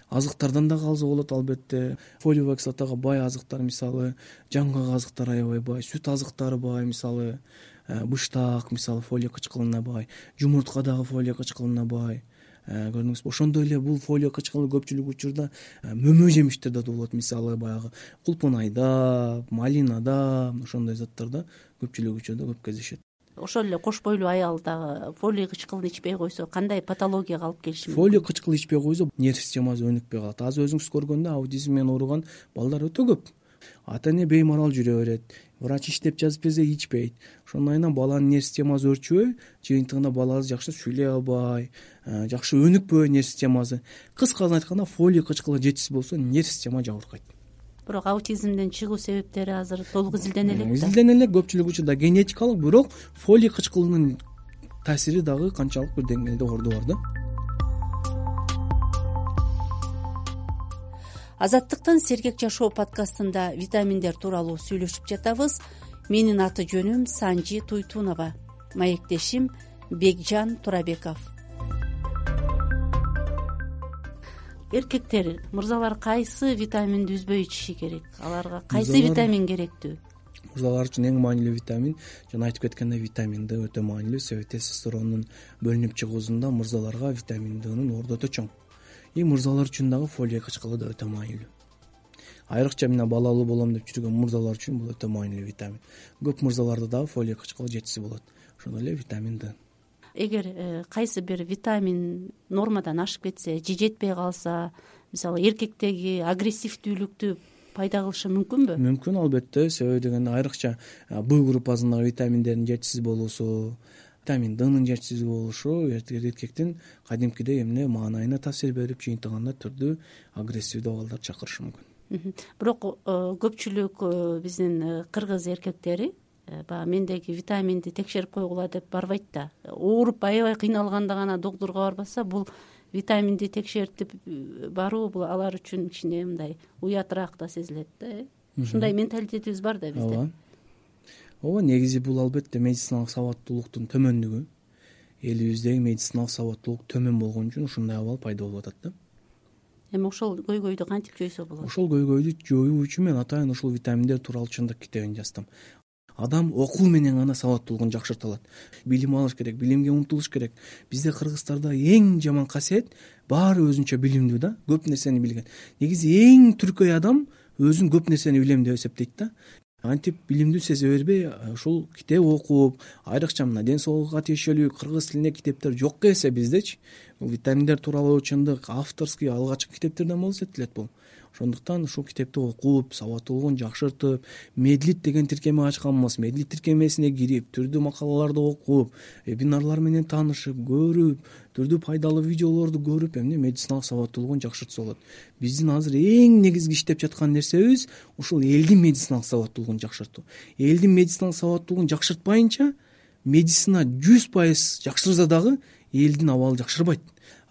Азыктардан дагы алса болот албетте. Фолиевая кислотага бай азыктар мисалы жаңгак азыктар аябай бай, сүт азыктары бай мисалы быштак мисалы фолий кычкылына бай, жумуртка дагы фолий кычкылына бай. Көрдүңүзбү? Ошондой эле бул фолий кычкылы көпчүлүк учурда мөмө жемиштерде болот, мисалы баягы кулпунайда, малинада, ошондой заттарда көпчүлүк учурда көп кездешет. Ошол эле кош бойлуу аял дагы фолий кычкылын ичпей койсо кандай патологияга алып келиши мүмкүн? Фолий кычкылы ичпей койсо нерв системасы өнүкпөй калат. Азыр өзүңүз көргөндө аутизм менен ооруган балдар өтө көп. Ата эне беймарал жүрө берет, врач иштеп жазып берсе ичпейт. Ошондон кийин баланын нерв системасы өрчүбөй, жыйынтыгында баласы жакшы сүйлөй албай, жакшы өнүкпөй нерв системасы. Кыскасын айтканда фолий кычкылы жетишсиз болсо нерв система жабыркайт. Бирок аутизмден чыгуу себептери азыр толук изилдене элек да. Изилдене элек, көпчүлүк учурда генетикалык, бирок фолий кычкылынын таасири дагы канчалык бир деңгээлде орду бар да. Азаттыктан Сергек жашоо подкастында витаминдер тууралуу сүйлөшүп жатабыз. Менин аты жөнүм Санжи Туйтунова, маектешим Бекжан Турабеков. Эркектер, мырзалар кайсы витаминди үзбөй ичиши керек? Аларга кайсы витамин керектүү? Мырзалар үчүн эң маанилүү витамин, жана айтып кеткендей, витамин Д өтө маанилүү. Себеби тестостерондун бөлүнүп чыгуусунда мырзаларга витамин Днын орду өтө чоң. Мырзалар үчүн дагы фолий кычкылы да өтө маанилүү. Айрыкча мына балалуу болом деп жүргөн мырзалар үчүн бул өтө маанилүү витамин. Көп мырзаларда дагы фолий кычкылы жетишсиз болот. Ошондой эле витамин Д. Эгер кайсы бир витамин нормадан ашып кетсе, же жетпей калса, мисалы эркектеги агрессивдүүлүктү пайда кылышы мүмкүнбү? Мүмкүн албетте. Себеби дегенде айрыкча Б группасындагы витаминдердин жетишсиз болуусу, витамин Днын жетишсиз болушу эркектин кадимкидей эмне маанайына таасир берип, жыйынтыгында түрдүү агрессивдүү абалдар чакырышы мүмкүн. Бирок көпчүлүк биздин кыргыз эркектери баягы мендеги витаминди текшерип койгула деп барбайт да. Ооруп аябай кыйналганда гана доктурга барбаса, бул витаминди текшертип баруу бул алар үчүн кичине мындай уятыраак да сезилет да. Ушундай менталитетибиз бар да бизде. Ооба, негизи бул албетте медициналык сабаттуулуктун төмөндүгү. элибиздеги медициналык сабаттуулук төмөн болгон үчүн ушундай абал пайда болуп атат да. Эми ошол көйгөйдү кантип жойсо болот? Ошол көйгөйдү жоюу үчүн мен атайын ушул витаминдер тууралуу чындык китебин жаздым. Адам окуу менен гана сабаттуулугун жакшырта алат. Билим алыш керек, билимге умтулуш керек. Бизде кыргыздарда эң жаман касиет баары өзүнчө билимдүү да, көп нерсени билген. Негизи эң түркөй адам өзүн көп нерсени билем деп эсептейт да. Антип билимдүү сезе бербей, ушул китеп окуп, айрыкча мына ден соолукка тиешелүү кыргыз тилинде китептер жок келсе биздечи, бул витаминдер тууралуу чындык авторский алгачкы китептерден болуп эсептелет бул. Ошондуктан ушул китепти окуп, сабаттуулугун жакшыртып, медлит деген тиркеме ачканбыз. Медлит тиркемесине кирип, түрдүү макалаларды окуп, вебинарлар менен таанышып, көрүп, түрдүү пайдалуу видеолорду көрүп, эмне медициналык сабаттуулугун жакшыртса болот. Биздин азыр эң негизги иштеп жаткан нерсебиз ушул элдин медициналык сабаттуулугун жакшыртуу. Элдин медициналык сабаттуулугун жакшыртпайынча медицина 100% жакшырса дагы элдин абалы жакшырбайт.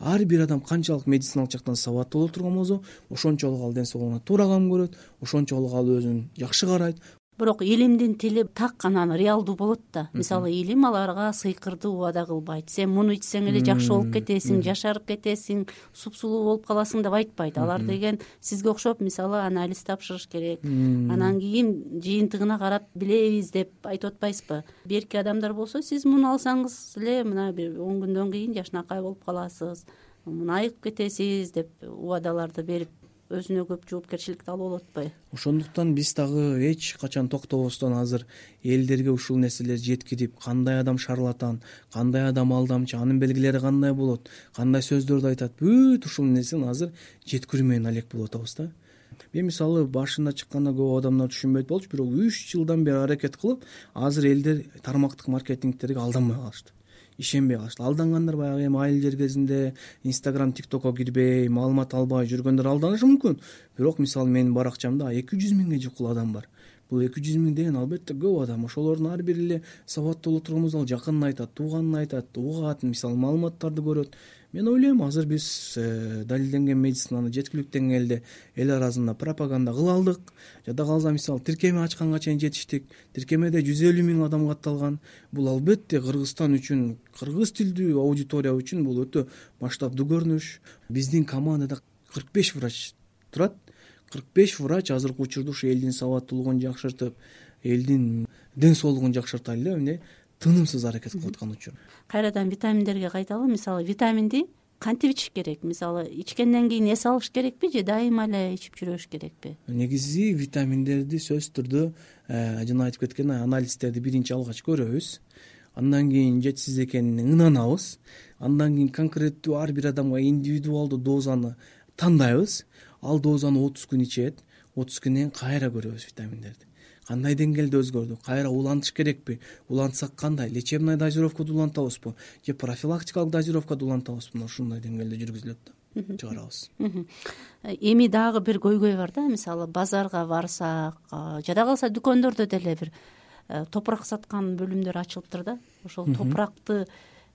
Ар бир адам канчалык медициналык жактан сабаттуу боло турган болсо, ошончолук ал ден соолугуна туура кам көрөт, ошончолук ал өзүн жакшы карайт. Бирок илимдин тили так анан реалдуу болот да. Мисалы, илим аларга сыйкырды убада кылбайт. Сен муну ичсең эле жакшы болуп кетесиң, жашарып кетесиң, супсулуу болуп каласың деп айтпайт. Алар деген сизге окшоп, мисалы, анализ тапшырыш керек, анан кийин жыйынтыгына карап билебиз деп айтып атпайсызбы? Берки адамдар болсо, сиз муну алсаңыз эле мына бир 10 күндөн кийин жашынакай болуп каласыз, муну айыгып кетесиз деп убадаларды берип өзүнө көп жоопкерчиликти алып болуп атпайбы? Ошондуктан биз дагы эч качан токтобостон азыр элдерге ушул нерселерди жеткирип, кандай адам шарлатан, кандай адам алдамчы, анын белгилери кандай болот, кандай сөздөрдү айтат, бүт ушул нерсени азыр жеткирүү менен алек болуп атабыз да. Мен мисалы башында чыкканда көп адамдар түшүнбөйт болчу, бирок 3 жылдан бери аракет кылып, азыр элдер тармактык маркетингтерге алданбай калышты. Ишенбей калышты. Алдангандар баягы эми айыл жер кезинде Instagram, TikTokко кирбей, маалымат албай жүргөндөр алданышы мүмкүн. Бирок мисалы менин баракчамда 200 миңге жукул адам бар. Бул 200 миң деген албетте көп адам. Ошолордун ар бири эле сабаттуу боло турган болсо, жакынын айтат, тууганын айтат, угат, мисалы маалыматтарды көрөт. Мен ойлойм, азыр биз далилденген медицинаны жеткиликтүү деңгээлде эл арасында пропаганда кыла алдык. Жада калса, мисалы, тиркеме ачканга чейин жетиштик. Тиркемеде 150 миң адам катталган. Бул албетте Кыргызстан үчүн, кыргыз тилдүү аудитория үчүн бул өтө масштабдуу көрүнүш. Биздин командада 45 врач турат. 45 врач азыркы учурда ушу элдин сабаттуулугун жакшыртып, элдин ден соолугун жакшыртайлы деп эмне тынымсыз аракет кылып аткан учур. Кайрадан витаминдерге кайталы. Мисалы, витаминди кантип ичиш керек? Мисалы, ичкенден кийин эс алыш керекпи же дайыма эле ичип жүрүш керекпи? Негизи витаминдерди сөзсүз түрдө жана айтып кеткендей анализдерди биринчи алгач көрөбүз. Андан кийин жетишсиз экенине ынанабыз. Андан кийин конкреттүү ар бир адамга индивидуалдуу дозаны тандайбыз. Ал дозаны 30 күн ичет. 30 күндөн кийин кайра көрөбүз витаминдерди. Кандай деңгээлде өзгөрдү? Кайра улантыш керекпи? Улантсак кандай? Лечебный дозировкада улантабызбы? Же профилактикалык дозировкада улантабызбы? Ушундай деңгээлде жүргүзүлөт да. Чыгарабыз. Эми дагы бир көйгөй бар да. Мисалы, базарга барсак, жада калса дүкөндөрдө деле бир топурак саткан бөлүмдөр ачылыптыр да. Ошол топуракты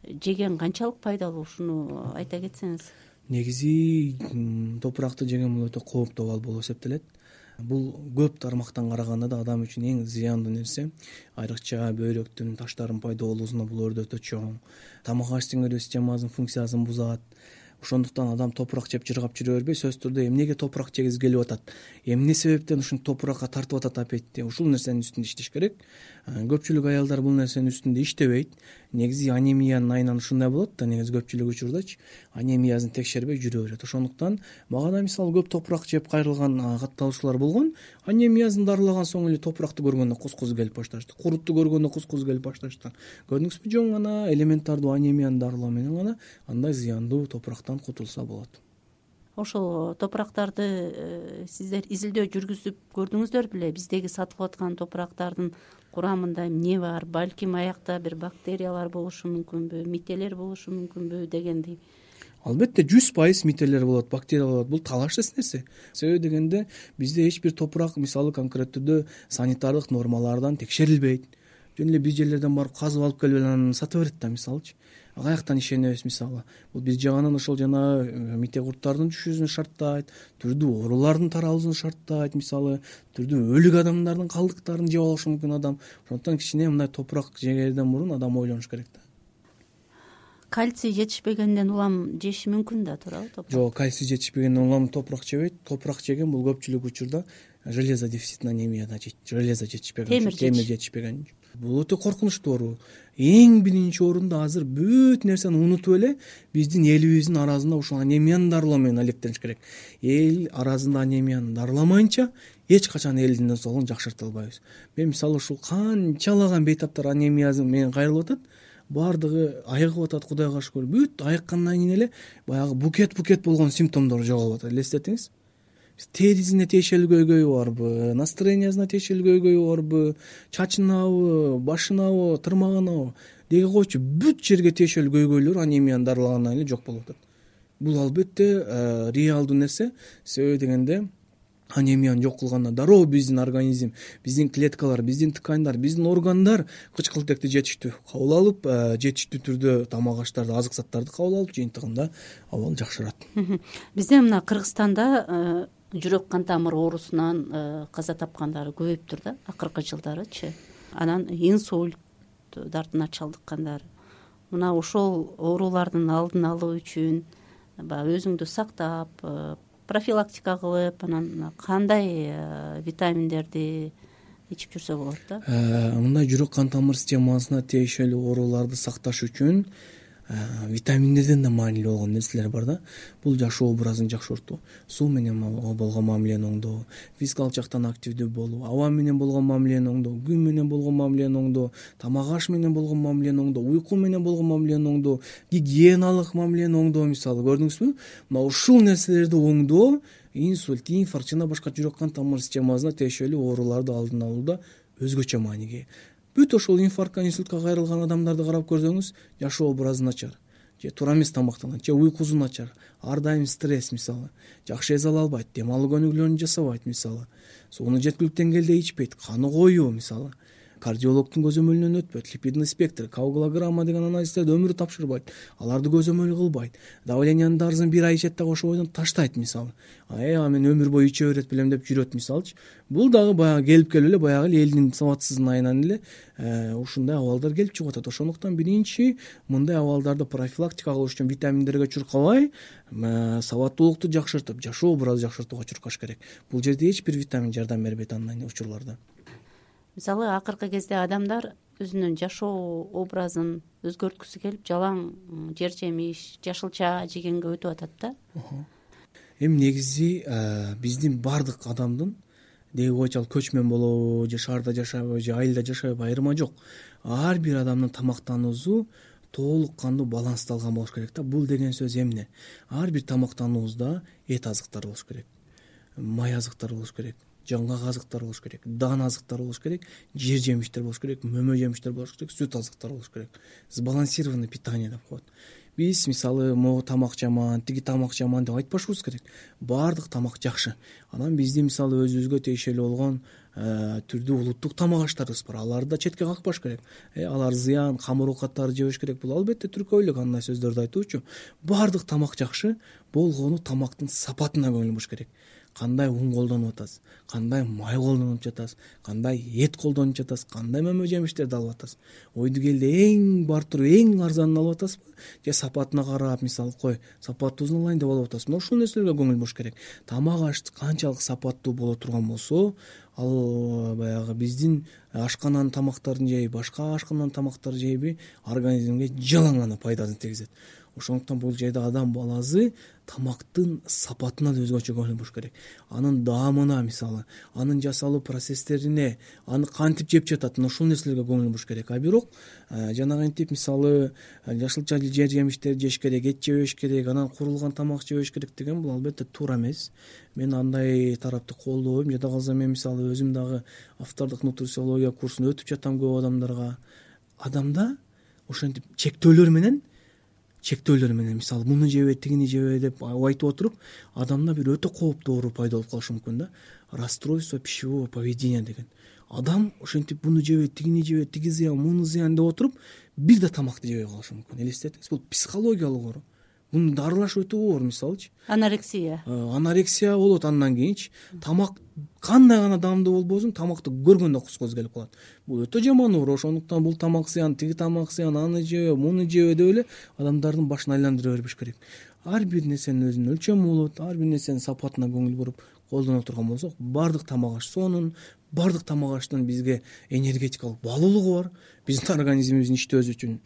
жеген канчалык пайдалуу? Ушуну айта кетсеңиз. Негизи топуракты жеген бул өтө кооптуу абал болуп эсептелет. Бул көп тармактан караганда да адам үчүн эң зыяндуу нерсе. Айрыкча бөйрөктүн таштардын пайда болуусуна бул өрдү өтө чоң. Тамак аш сиңирүү системасынын функциясын бузат. Ошондуктан адам топурак жеп жыргап жүрө бербей, сөзсүз түрдө эмнеге топурак жегиз келип атат, эмне себептен ушинтип топуракка тартып атат аппетитти, ушул нерсенин үстүндө иштеш керек. Көпчүлүк аялдар бул нерсенин үстүндө иштебейт. Негизи анемиянын айынан ушундай болот да, негизи көпчүлүк учурдачы анемиясын текшербей жүрө берет. Ошондуктан мага да мисалы көп топурак жеп кайрылган катталуучулар болгон. Анемиясын дарылаган соң эле топуракты көргөндө кус-кус келип башташты. Курутту көргөндө кус-кус келип башташты. Көрдүңүзбү, жөн гана элементардуу анемияны дарылоо менен гана андай зыяндуу топурактан кутулса болот. Ошол топурактарды сиздер изилдөө жүргүзүп көрдүңүздөр беле? Биздеги сатылып аткан топурактардын курамында эмне бар? Балким аякта бир бактериялар болушу мүмкүнбү, мителер болушу мүмкүнбү дегендей. Албетте 100% мителер болот, бактериялар болот. Бул талашсыз нерсе. Себеби дегенде бизде эч бир топурак мисалы конкреттүү санитардык нормалардан текшерилбейт. Жөн эле бир жерлерден барып казып алып келип анан сата берет да, мисалычы. Каяктан ишенебиз мисалы? Бул бир жагынан ошол жана мите курттардын түшүүсүн шарттайт, түрдүү оорулардын таралуусун шарттайт, мисалы түрдүү өлүк адамдардын калдыктарын жеп алышы мүмкүн адам. Ошондуктан кичине мындай топурак жегерден мурун адам ойлонуш керек да. кальций жетишпегенден улам жеши мүмкүн да туурабы топурак? Жок, кальций жетишпегенден улам топурак жебейт. Топурак жеген бул көпчүлүк учурда железо дефицитный анемияда жейт. Железо жетишпеген, темир жетишпеген. Бул өтө коркунучтуу оору. Эң биринчи орунда азыр бүт нерсени унутуп эле биздин элибиздин арасында ушул анемияны дарылоо менен алектениш керек. Эл арасында анемияны дарыламайынча эч качан элдин ден соолугун жакшырта албайбыз. Мен мисалы ушул канчалаган бейтаптар анемия менен кайрылып атат, баардыгы айыгып атат, Кудайга шүгүр. Бүт айыккандан кийин эле баягы букет болгон симптомдору жоголуп атат. Элестетиңиз. Терисине тиешелүү көйгөйү барбы, настроениясына тиешелүү көйгөйү барбы, чачынабы, башынабы, тырмагынабы деги койчу, бүт жерге тиешелүү көйгөйлөр анемияны дарылагандан кийин эле жок болуп атат. Бул албетте реалдуу нерсе. Себеби дегенде анемияны жок кылганда дароо биздин организм, биздин клеткалар, биздин ткандар, биздин органдар кычкылтекти жетиштүү кабыл алып, жетиштүү түрдө тамак аштарды, азык заттарды кабыл алып, жыйынтыгында абал жакшырат. Бизде мына Кыргызстанда жүрөк кан тамыр оорусунан каза тапкандар көбөйүптүр да акыркы жылдарычы. Анан инсульт дартына чалдыккандар. Мына ошол оорулардын алдын алуу үчүн баягы өзүңдү сактап, профилактика кылып, анан кандай витаминдерди ичип жүрсө болот да? Мындай жүрөк кан тамыр системасына тиешелүү ооруларды сакташ үчүн витаминдерден да маанилүү болгон нерселер бар да. Бул жашоо образын жакшыртуу, суу менен болгон мамилени оңдоо, физикалык жактан активдүү болуу, аба менен болгон мамилени оңдоо, күн менен болгон мамилени оңдоо, тамак аш менен болгон мамилени оңдоо, уйку менен болгон мамилени оңдоо, гигиеналык мамилени оңдоо. Мисалы көрдүңүзбү, мына ушул нерселерди оңдоо инсульт, инфаркт жана башка жүрөк кан тамыр системасына тиешелүү ооруларды алдын алууда өзгөчө мааниге ээ. Бүт ошол инфарктка, инсультка кайрылган адамдарды карап көрсөңүз, жашоо образы начар, же туура эмес тамактанат, же уйкусу начар, ар дайым стресс, мисалы, жакшы эс ала албайт, дем алуу көнүгүүлөрүн жасабайт, мисалы, сууну жеткиликтүү деңгээлде ичпейт, каны коюу, мисалы, кардиологдун көзөмөлүнөн өтпөйт, липидный спектр, коагулограмма деген анализдерди өмүрү тапшырбайт, аларды көзөмөл кылбайт, давлениянын дарысын бир ай ичет дагы ошол бойдон таштайт, мисалы, мен өмүр бою иче берет белем деп жүрөт, мисалычы. Бул дагы баягы келип эле баягы элдин сабатсыздыгынан эле ушундай абалдар келип чыгып атат. Ошондуктан биринчи мындай абалдарды профилактика кылыш үчүн витаминдерге чуркабай, сабаттуулукту жакшыртып, жашоо образы жакшыртууга чуркаш керек. Бул жерде эч бир витамин жардам бербейт андай учурларда. Мисалы акыркы кезде адамдар өзүнүн жашоо образын өзгөрткүсү келип, жалаң жер жемиш, жашылча жегенге өтүп атат да. Эми негизи биздин баардык адамдын деги койчу ал көчмөн болобу, же шаарда жашайбы, же айылда жашайбы, айырма жок. Ар бир адамдын тамактануусу толук кандуу балансталган болуш керек да. Бул деген сөз эмне? Ар бир тамактануубузда эт азыктары болуш керек, май азыктары болуш керек, жаңгак азыктар болуш керек, дан азыктар болуш керек, жер жемиштер болуш керек, мөмө жемиштер болуш керек, сүт азыктар болуш керек. Сбалансированный питание деп коет. Биз мисалы могу тамак жаман, тиги тамак жаман деп айтпашыбыз керек. Баардык тамак жакшы. Анан биздин мисалы өзүбүзгө тиешелүү болгон түрдүү улуттук тамак аштарыбыз бар. Аларды да четке какпаш керек. Алар зыян, камыр оокаттарды жебеш керек. Бул албетте түркөйлүк андай сөздөрдү айтуучу. Баардык тамак жакшы, болгону тамактын сапатына көңүл буруш керек. Кандай ун колдонуп атасыз, кандай май колдонуп жатасыз, кандай эт колдонуп жатасыз, кандай мөмө жемиштерди алып атасыз. Ойду келди эң бартур, эң арзанын алып атасызбы, же сапатына карап, мисалы сапаттуусун алайын деп алып атасызбы. Ошол нерселерге көңүл буруш керек. Тамак аш канчалык сапаттуу боло турган болсо, ал баягы биздин ашкананын тамактарын жейби, башка ашкананын тамактарды жейби, организмге жалаң гана пайдасын тийгизет. Ошондуктан бул жерде адам баласы тамактын сапатына да өзгөчө көңүл буруш керек. Анын даамына, мисалы, анын жасалуу процесстерине, аны кантип жеп жатат, ошол нерселерге көңүл буруш керек. А бирок жанагынтип мисалы жашылча жер жемиштерди жеш керек, эт жебеш керек, анан курулган тамак жебеш керек деген бул албетте туура эмес. Мен андай тарапты колдобойм. Жада калса мен мисалы өзүм дагы автордук нутрициология курсун өтүп жатам көп адамдарга. Адамда ошентип чектөөлөр менен мисалы муну жебе, тигини жебе деп айтып отуруп, адамда бир өтө кооптуу оору пайда болуп калышы мүмкүн да. Расстройство пищевого поведения деген. Адам ошентип муну жебе, тигини жебе, тиги зыян, муну зыян деп отуруп, бир да тамакты жебей калышы мүмкүн. Элестетиңиз, бул психологиялык оору. муну дарылаш өтө оор. Мисалычы анорексия болот, андан кийинчи тамак кандай гана даамдуу болбосун тамакты көргөндө кускубуз келип калат. Бул өтө жаман оор. Ошондуктан бул тамак зыян, тиги тамак зыян, аны жебе, муну жебе деп эле адамдардын башын айландыра бербеш керек. Ар бир нерсенин өзүнүн өлчөмү болот. Ар бир нерсенин сапатына көңүл буруп колдоно турган болсок, баардык тамак аш сонун, баардык тамак аштын бизге энергетикалык баалуулугу бар. Биздин организмибиздин иштөөсү үчүн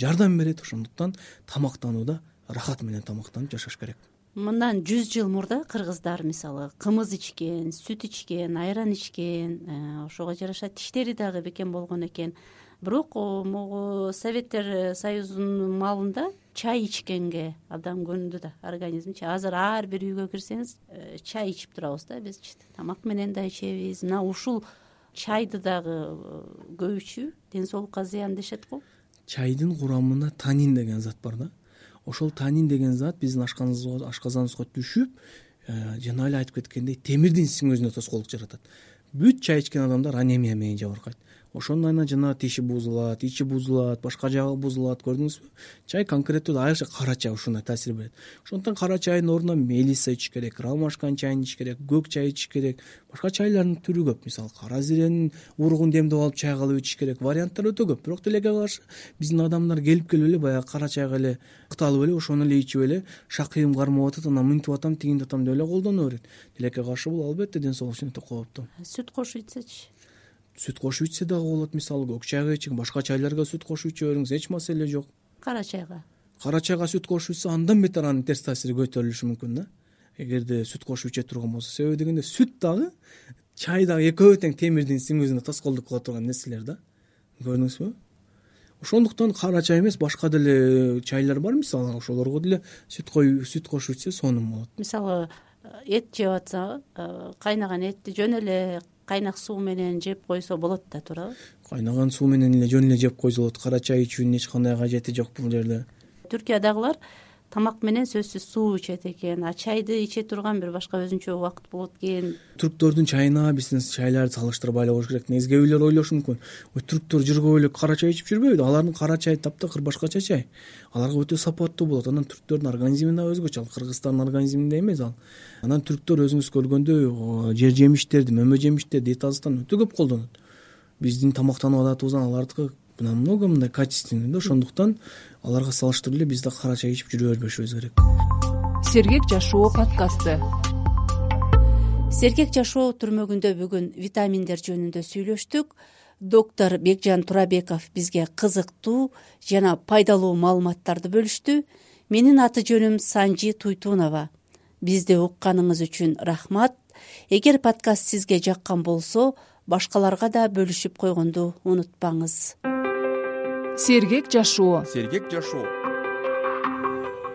жардам берет. Ошондуктан тамактанууда рахат менен тамактанып жашаш керек. Мындан 100 жыл мурда кыргыздар мисалы кымыз ичкен, сүт ичкен, айран ичкен, ошого жараша тиштери дагы бекем болгон экен. Бирок могу Советтер Союзунун маалында чай ичкенге абдан көнүдү да организмчи. Азыр ар бир үйгө кирсеңиз чай ичип турабыз да бизчи. Тамак менен да ичебиз. Мына ушул чайды дагы көп ичүү ден соолукка зыян дешет го. Чайдын курамында танин деген зат бар да. Ошол танин деген зат биздин ашказаныбызга түшүп, жана эле айтып кеткендей, темирдин сиңүүсүнө тоскоолдук жаратат. Бүт чай ичкен адамдар анемия менен жабыркайт. Ошондон айынан жана тиши бузулат, ичи бузулат, башка жагы бузулат, көрдүңүзбү? Чай конкреттүү айрыкча кара чай ушундай таасир берет. Ошондуктан кара чайдын ордуна мелиса ичиш керек, ромашканын чайын ичиш керек, көк чай ичиш керек. Башка чайлардын түрү көп. Мисалы кара зиренин уругун демдеп алып чай кылып ичиш керек. Варианттар өтө көп. Бирок тилекке каршы биздин адамдар келип эле баягы кара чайга эле ыкталып эле ошону эле ичип эле шакыйым кармап атат, анан мынтип атам, тигинтип атам деп эле колдоно берет. Тилекке каршы бул албетте ден соолук үчүн өтө кооптуу. Сүт кошуп ичсечи? Сүт кошуп ичсе дагы болот. Мисалы көк чайга ичиң, башка чайларга сүт кошуп иче бериңиз, эч маселе жок. Кара чайга сүт кошуп ичсе андан бетер анын терс таасири көтөрүлүшү мүмкүн да. Эгерде сүт кошуп иче турган болсо, себеби дегенде сүт дагы чай дагы экөө тең темирдин сиңүүсүнө тоскоолдук кыла турган нерселер да. Көрдүңүзбү? Ошондуктан кара чай эмес, башка деле чайлар бар, мисалы ошолорго деле сүт кошуп ичсе сонун болот. Мисалы эт жеп атса, кайнаган этти жөн эле кайнак суу менен жеп койсо болот да, туурабы? Кайнаган суу менен эле жөн эле жеп койсо болот. Кара чай ичүүнүн эч кандай кажети жок бул жерде. Түркиядагылар тамак менен сөзсүз суу ичет экен, а чайды иче турган бир башка өзүнчө убакыт болот экен. Түрктөрдүн чайына биздин чайларды салыштырбай эле коюш керек. Негизи кээ бирлер ойлошу мүмкүн, түрктөр жүргөп эле кара чай ичип жүрбөйбү? Алардын кара чайы таптакыр башкача чай. Аларга өтө сапаттуу болот. Анан түрктөрдүн организми да өзгөчө, ал кыргызстардын организминдей эмес ал. Анан түрктөр өзүңүз көргөндөй жер жемиштерди, мөмө жемиштерди, эт азыктан өтө көп колдонот. Биздин тамактануу адатыбыздан алардыкы намного мындай качественный да. Ошондуктан аларга салыштырып эле биз да кара чай ичип жүрө бербешибиз керек. Сергек жашоо подкасты. Сергек жашоо түрмөгүндө бүгүн витаминдер жөнүндө сүйлөштүк. Доктор Бекжан Турабеков бизге кызыктуу жана пайдалуу маалыматтарды бөлүштү. Менин аты жөнүм Санжи Туйтунова. Бизди укканыңыз үчүн рахмат. Эгер подкаст сизге жаккан болсо, башкаларга да бөлүшүп койгонду унутпаңыз. Сергек жашоо.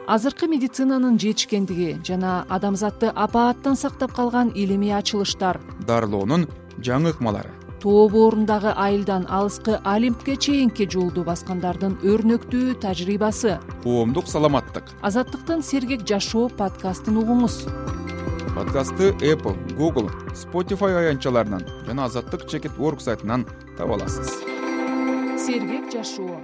Азыркы медицинанын жетишкендиги жана адамзатты апааттан сактап калган илимий ачылыштар, дарылоонун жаңы ыкмалары, тоо боорундагы айылдан алыскы Олимпке чейинки жолду баскандардын өрнөктүү тажрыйбасы, коомдук саламаттык. Азаттыктын Сергек жашоо подкастын угуңуз. Подкастты Apple, Google, Spotify аянтчаларынан жана Азаттык.org сайтынан таба аласыз. Сергек жашоо.